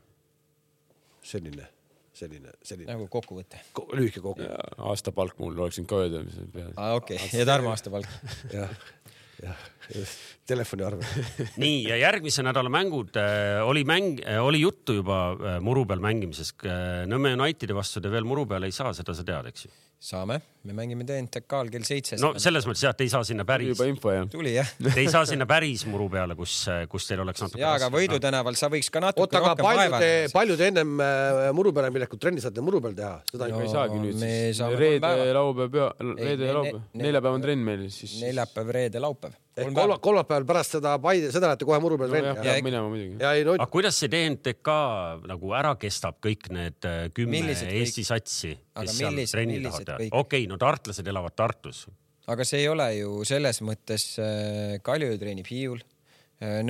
Selline, selline, selline. Nagu kokkuvõte. Ko lühike kokku. Aasta palk mul oleksin ka öelda. Ah, okei. Okay. Ja Tarmo aasta palk. jah, jah. Telefoni arve. Nii, ja järgmise nädala mängud äh, oli mäng, äh, oli juttu juba äh, muru peal mängimisest. Äh, Nõmme Unitedi vastu te veel muru peal ei saa, seda sa tead, eks ju? Saame. Me mängime T N T K-l kell seitse. No selles mõttes jah, te ei saa sinna päris. Juba info, jah. Tuli, jah. Te ei saa sinna päris muru peale, kus, kus teil oleks natuke... Jaa, aga Võidu tänaval sa võiks ka natuke Oota, rohkem vaeva. Oota, palju te ennem muru peale milekut trenni saate muru peal teha? Seda no, ei saagi nüüd me siis. Reede, laupäev, reede ja laupäev. Neljapäev on trenn meil siis. Neljapäev, reede, laupäev. Kolmapäeval pärast seda Paide, seda lähete kohe muru peal trenni. No, jah, minema muidugi. No... Aga kuidas see T N T K nagu ära kestab kõik need kümme Eesti satsi, kes seal trenni tahavad teha? Okei, no tartlased elavad Tartus. Aga see ei ole ju selles mõttes Kalju treenib Hiiul.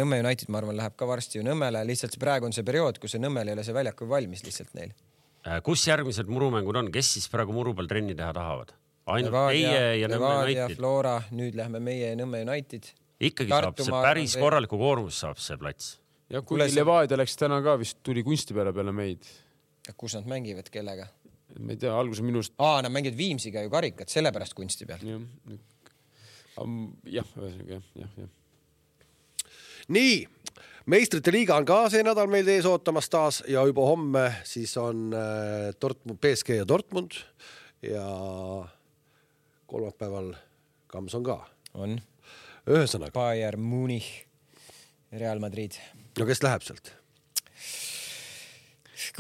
Nõmme United, ma arvan, läheb ka varsti ju Nõmmele. Lihtsalt praegu on see periood, kus see Nõmmel ei ole see väljaku valmis lihtsalt neil. Kus järgmised murumängud on? Kes siis praegu muru peal trenni teha tahavad? Ainult Levadia, teie ja Nõmme Levadia, United. Flora, nüüd lähme meie Nõmme United. Ikkagi Tartu saab see päris veel... korraliku koormus saab see plats. Ja kui see... Levadia läks täna ka vist tuli kunsti peale peale meid. Kus nad mängivad, kellega? Ma ei tea, alguse minust... Aa, nad mängivad Viimsiga ju karikat, sellepärast kunsti peal. Jah, jah, jah, jah, jah. Nii, meistrite liiga on ka see nädal meil ees ootamas taas ja juba homme siis on Dortmund, P S G ja Dortmund ja kolmapäeval Kams on ka. On. Ühesõnaga. Bayern Munich, Real Madrid. No kes läheb sealt?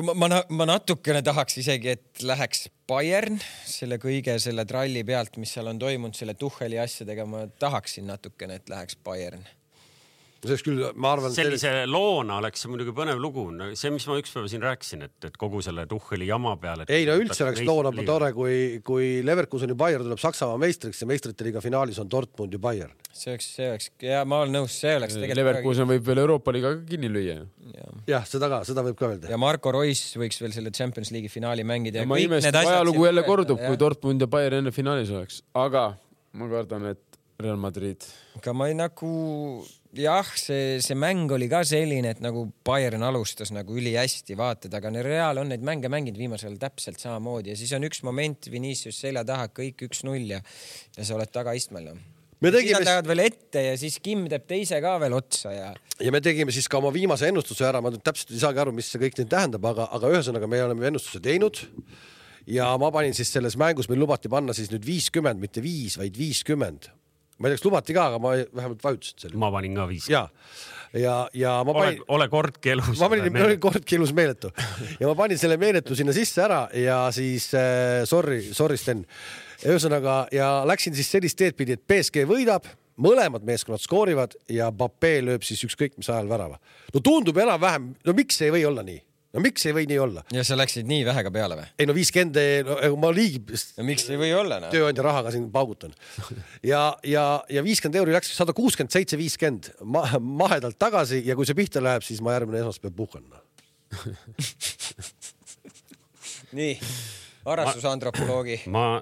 Ma, ma, ma natukene tahaks isegi, et läheks Bayern selle kõige selle tralli pealt, mis seal on toimunud selle Tucheli asjadega. Ma tahaksin natukene, et läheks Bayern. Küll, ma arvan, sellise selle... loona oleks see muidugi põnev lugu. See, mis ma üks päeva siin rääkisin, et, et kogu selle Tucheli jama peale. Ei, no üldse oleks loona tore, kui, kui Leverkuseni Bayern tuleb Saksamaa meistriks ja meistrite liiga finaalis on Dortmund ja Bayern. See oleks, see oleks, ja ma olen nõus, see oleks tegelikult... Leverkusen võib veel Euroopa liiga kinni lüüa. Ja. Jah, seda ka, seda võib ka öelda. Ja Marko Reus võiks veel selle Champions League finaali mängida. Ja ma imest, ajalugu jälle kordub, kui Dortmund ja Bayern enne finaalis oleks. Aga ma kardan, et Real Madrid. Aga ma ei nagu... Jah, see, see mäng oli ka selline, et nagu Bayern alustas nagu üli hästi vaatad, aga Real on neid mänge mänginud viimasel täpselt samamoodi ja siis on üks moment Vinicius selja taha, kõik üks null ja, ja sa oled taga istmel. Me tegime... Siis nad lähevad veel ette ja siis Kim teeb teise ka veel otsa. Ja... ja me tegime siis ka oma viimase ennustuse ära, ma täpselt ei saagi aru, mis see kõik nüüd tähendab, aga, aga ühesõnaga me oleme ennustuse teinud ja ma panin siis selles mängus, meil lubati panna siis nüüd viiskümmend, mitte viis, vaid viiskümmend. Ma ei teaks, lubati ka, aga ma vähemalt vajutasin selle. Ma panin ka viis. Ja, ja, ja ma panin... Ole, ole kordki elus. Ma panin meeletu. kordki elus meeletu. Ja ma panin selle meeletu sinna sisse ära ja siis äh, sorry, sorry Sten. Ühesõnaga, ja läksin siis sellist teed pidi, et P S G võidab, mõlemad meeskonnad skoorivad ja Mbappé lööb siis ükskõik mis ajal värava. No tundub enam vähem, no miks ei või olla nii? No miks ei või nii olla? Ja sa läksid nii vähega peale või? Ei no viiskümmend, no, ma liigi... No miks ei või olla? No? Tööandja rahaga siin paugutan. Ja, ja, ja viiskümmend euri läks sada kuuskümmend seitse viiskümmend ma, mahedalt tagasi ja kui see pihta läheb, siis ma järgmine esmaspäev puhkan. Nii, arastusantropoloogi. Ma,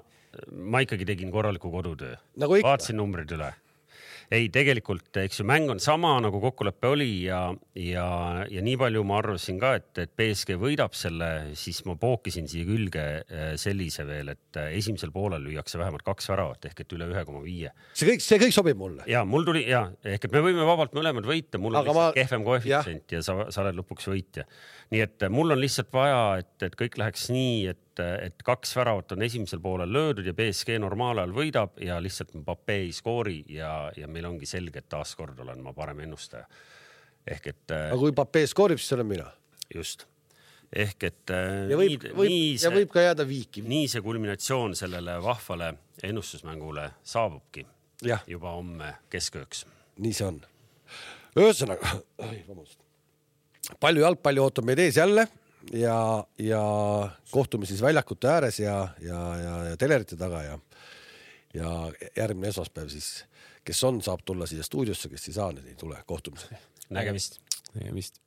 ma ikkagi tegin korraliku kodutöö. Nagu vaatasin numbrid üle. Ei, tegelikult, eks ju, mäng on sama, nagu kokkuleppe oli ja, ja, ja nii palju ma arvasin ka, et, et P S G võidab selle, siis ma pookisin siia külge sellise veel, et esimesel poolel lüüakse vähemalt kaks väravat ehk et üle ühe koma viis. See kõik, see kõik sobib mulle. Ja mul tuli, ja, ehk et me võime vabalt mõlemad võita, mul on aga lihtsalt ma... kehvem koefitsient ja sa, sa oled lõpuks võitja. Nii et mul on lihtsalt vaja, et, et kõik läheks nii, et, et kaks väravat on esimesel poolel löödud ja P S G normaalajal võidab ja lihtsalt Mbappé ei skoori ja, ja meil ongi selge, et taaskord olen ma parem ennustaja. Ehk et... Aga kui Mbappé skoorib, siis olen mina. Just. ehk et ja võib, nii, võib, nii see, ja võib ka jääda viiki. Nii see kulminatsioon sellele vahvale ennustusmängule saabubki ja. juba homme keskööks. Nii see on. Ühesõnaga, palju jalgpalli ootab meid ees jälle ja, ja kohtume siis väljakute ääres ja, ja, ja, ja telerite taga ja, ja järgmine esmaspäev siis, kes on, saab tulla siia stuudiosse, kes ei saa, nii tule kohtumisele. Nägemist. Nägemist.